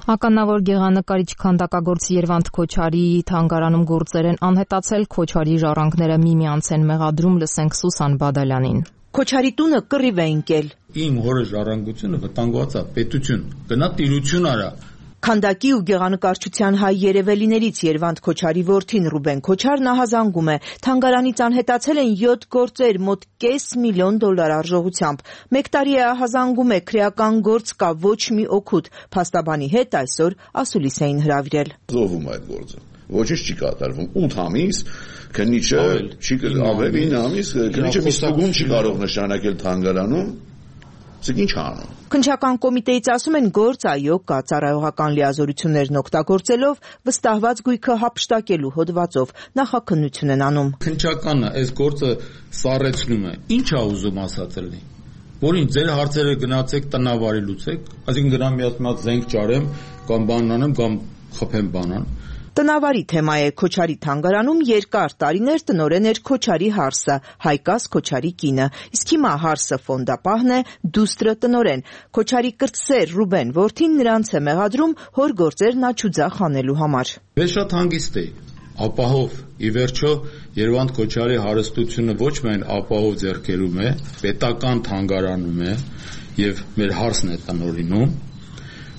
Ականավոր գեղանկարիչ քանդակագործ Երվանդ Քոչարիի թանգարանում գործեր են անհետացել, Քոչարիի ժառանգները միմյանց են մեղադրում, լսենք Սուսան Բադալյանին։ Քոչարի տունը կռիվ է ընկել։ Իմ հորը ժառանգությունը վտանգված է, պետություն, գնա տիրություն արա։ Քանդակի ու գեղանկարչության հայ երևելիներից Երվանդ Քոչարի որդին Ռուբեն Քոչարն ահազանգում է։ Թանգարանից անհետացել են 7 գործեր մոտ $500,000 արժողությամբ։ Մեկ տարի է ահազանգում է, քրեական գործ կա, ոչ մի օգուտ։ Փաստաբանի հետ այսօր ասուլիս էին հրավիրել։ Զոհվում այդ գործը։ Ոչինչ չի կատարվում։ 8 ամիս քննիչը չի ավելի 9 ամիս քննիչը մի ստուգում չի կարող նշանակել թանգարանում։ Իսկ ինչ անում։ Քննչական կոմիտեից ասում են գործ այո կա, ծառայողական լիազորություններն օգտագործելով վստահված գույքը հափշտակելու հոդվածով նախաքննություն են անում։ Քննչականը այս գործը սառեցնում է։ Ինչ է ուզում ասած լինի։ Որին ձեր հարցերը գնացեք տնավարի լուծեք, այսինքն գնամ մի հատ զենք ճարեմ կամ բան անեմ կամ խփեմ բանան։ Տնավարի թեմա է Քոչարի թանգարանում երկար տարիներ տնօրեն էր Քոչարի Հարսը, Հայկաս Քոչարի կինը, իսկ հիմա Հարսը ֆոնդապահն է, դուստրը տնօրեն։ Քոչարի կրտսեր Ռուբեն որդին նրանց է մեղադրում հոր գործերն աչուձախ անելու համար։ Ես շատ հանգիստ էի, ապահով, ի վերջո Երվանդ Քոչարի հարստությունը ոչ միայն ապահով ձեռքերում է, պետական թանգարանում է եւ մեր Հարսն է տնօրինում։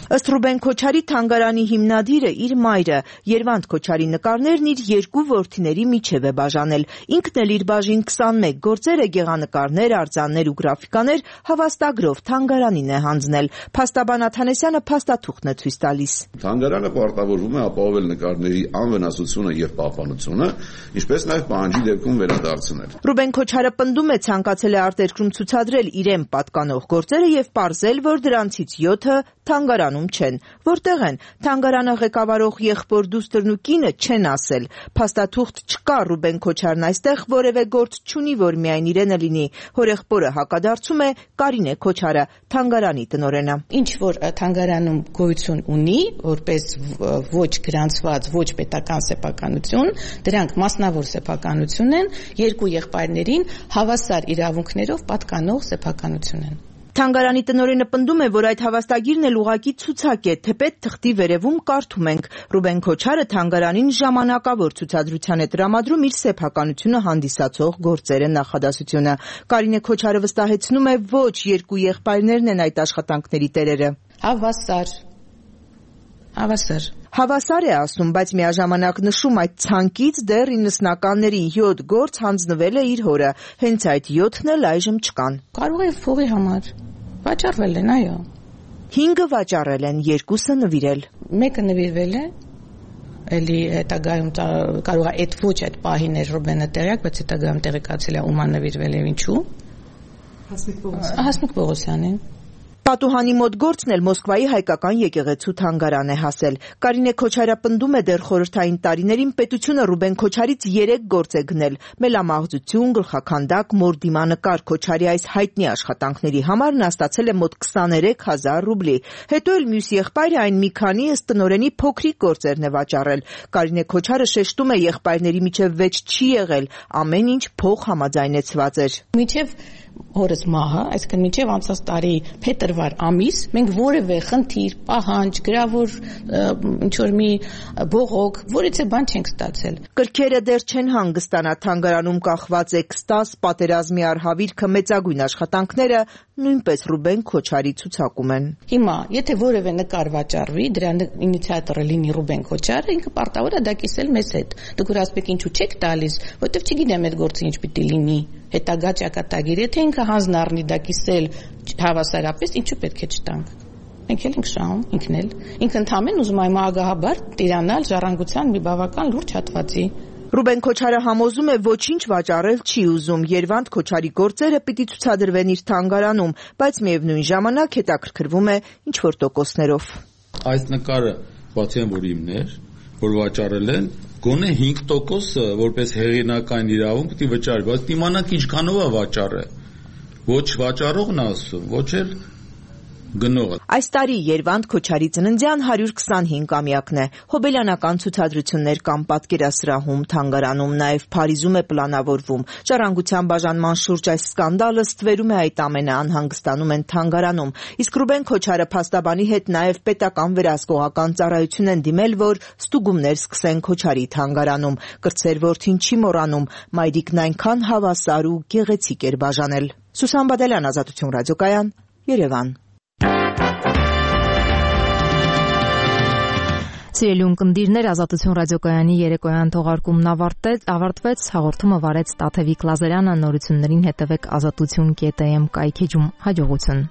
Ըստ Ռուբեն Քոչարի թանգարանի հիմնադիրը իր մայրը Երվանդ Քոչարի նկարներն իր 2 որդիների միջև է բաժանել։ Ինքն էլ իր բաժին 21 գործերը գեղանկարներ, արձաններ ու գրաֆիկաներ հավաստագրով թանգարանին է հանձնել։ Փաստաբան Աթանեսյանը փաստաթուղթն է ցույց տալիս։ Թանգարանը պարտավորվում է ապահովել նկարների անվնասությունը եւ պահպանությունը, ինչպես նաեւ պահանջի դեպքում վերադարձնել։ Ռուբեն Քոչարը պնդում է ցանկացել է արտերկրում ցուցադրել իրեն պատկանող գործերը եւ պարզել, որ դրանցից 7-ը թանգարանում չեն։ Որտեղ են։ Թանգարանը ղեկավարող եղբոր դուստրն ու կինը չեն ասել։ Փաստաթուղթ չկա, Ռուբեն Քոչարն այստեղ որևէ գործ չունի, որ միայն իրենը լինի։ Հորեղբորը հակադարձում է Կարինե Քոչարը, թանգարանի տնօրենը։ Ինչ որ թանգարանում գոյություն ունի, որպես ոչ գրանցված, ոչ պետական սեփականություն, դրանք մասնավոր սեփականություն են, 2 եղբայրներին հավասար իրավունքներով պատկանող սեփականություն են։ Թանգարանի տնօրենը պնդում է, որ այդ հավաստագիրն էլ ուղղակի ցուցակ է, թեպետ թղթի վերևում կարդում ենք։ Ռուբեն Քոչարը թանգարանին ժամանակավոր ցուցադրության է տրամադրում իր սեփականությունը հանդիսացող գործերը նախադասությունը։ Կարինե Քոչարը վստահեցնում է, ոչ 2 եղբայրներն են այդ աշխատանքների տերերը։ Հավասար է ասում, բայց միաժամանակ նշում այդ ցանկից դեռ 90-ականների 7 գործ հանձնվել է իր հորը, հենց այդ 7-ն էլ այժմ չկան։ Կարող է փողի համար վաճառվել են, այո։ 5-ը վաճառել են, 2-ը նվիրել։ Մեկը նվիրվել է, էլի հետագայում կարող է այդ պահին էր Ռուբենը տեղյակ, բայց հետագայում տեղեկացել է ում նվիրվել է ինչու։ Հասմիկ Պողոսյանին։ Պատուհանի մոտ գործն էլ Մոսկվայի հայկական եկեղեցու թանգարան է հասել։ Կարինե Քոչարը պնդում է դեռ խորհրդային տարիներին պետությունը Ռուբեն Քոչարից 3 գործ է գնել՝ մելամաղձություն, գլխաքանդակ, մորդիմանկար։ Քոչարի այս հայտնի աշխատանքների համար նա ստացել է մոտ 23,000 ռուբլի։ Հետո էլ մյուս եղբայրը այն մի քանի ըստ տնօրենի փոքրիկ գործերն է վաճառել։ Կարինե Քոչարը շեշտում է եղբայրների միջև վեճ չի եղել, ամեն ինչ փոխ համաձայնեցված էր։ Միջև հորս մահը, այսինքն մինչև անցած տարի փետրվար ամիս մենք որևէ խնդիր, պահանջ, գրավոր ինչ որ մի բողոք, որից է բան չենք ստացել։ Կրքերը դեռ չեն հանգստանա, թանգարանում կախված է Կստաս, պատերազմի արհավիրքը, մեծագույն աշխատանքները նույնպես Ռուբեն Քոչարի ցուցակում են։ Հիմա, եթե որևէ նկար վաճառվի, դրա ինիցիատորը լինի Ռուբեն Քոչարը, ինքը պարտավոր է դա կիսել մեզ հետ։ Դուք որ ասեք ինչու չեք տալիս, որովհետև չգիտեմ այդ գործը ինչ պիտի լինի։ Հետագա ճակատագիր, եթե ինքը հանձն առնի դա կիսել հավասարապես, ինչու պետք է չտանք։ Մենք էլ ենք շահում, ինքն ընդհանրեն ուզում է ագահաբար տիրանալ ժառանգության մի բավական լուրջ հատվածի։ Ռուբեն Քոչարը համոզում է ոչինչ վաճառել չի ուզում, Երվանդ Քոչարի գործերը պիտի ցուցադրվեն իր թանգարանում, բայց միևնույն ժամանակ հետաքրքրվում է ինչ-որ տոկոսներով։ Այս նկարը բացի այն որ իմն էր, որ վաճառել են, գոնե 5% որպես հեղինակային իրավունք պիտի վճարի, բայց իմանանք ինչքանով է վաճառը։ Ոչ վաճառողն է ասում, ոչ էլ գնողը։ Այս տարի Երվանդ Քոչարի ծննդյան 125-ամյակն է։ Հոբելյանական ցուցադրություններ կամ պատկերասրահում, թանգարանում, նաև Փարիզում է պլանավորվում։ Ժառանգության բաժանման շուրջ այս սկանդալը ստվերում է այդ ամենը, անհանգստանում են թանգարանում։ Իսկ Ռուբեն Քոչարը փաստաբանի հետ նաև պետական վերահսկողական ծառայություն են դիմել, որ ստուգումներ սկսեն Քոչարի թանգարանում։ Կրտսեր որդին չի մոռանում, մայրիկն այնքան հավասար ու գեղեցիկ էր բաժանել։ Սուսան Բադալյան, Ազատություն ռադիոկայան, Երևան։ Սիրելի ունկնդիրներ, Ազատություն ռադիոկայանի երեկոյան թողարկումն ավարտվեց, հաղորդումը վարեց Տաթևիկ Լազարյանը, նորություններին հետևեք azatutun.am կայքեջում, հաջողություն։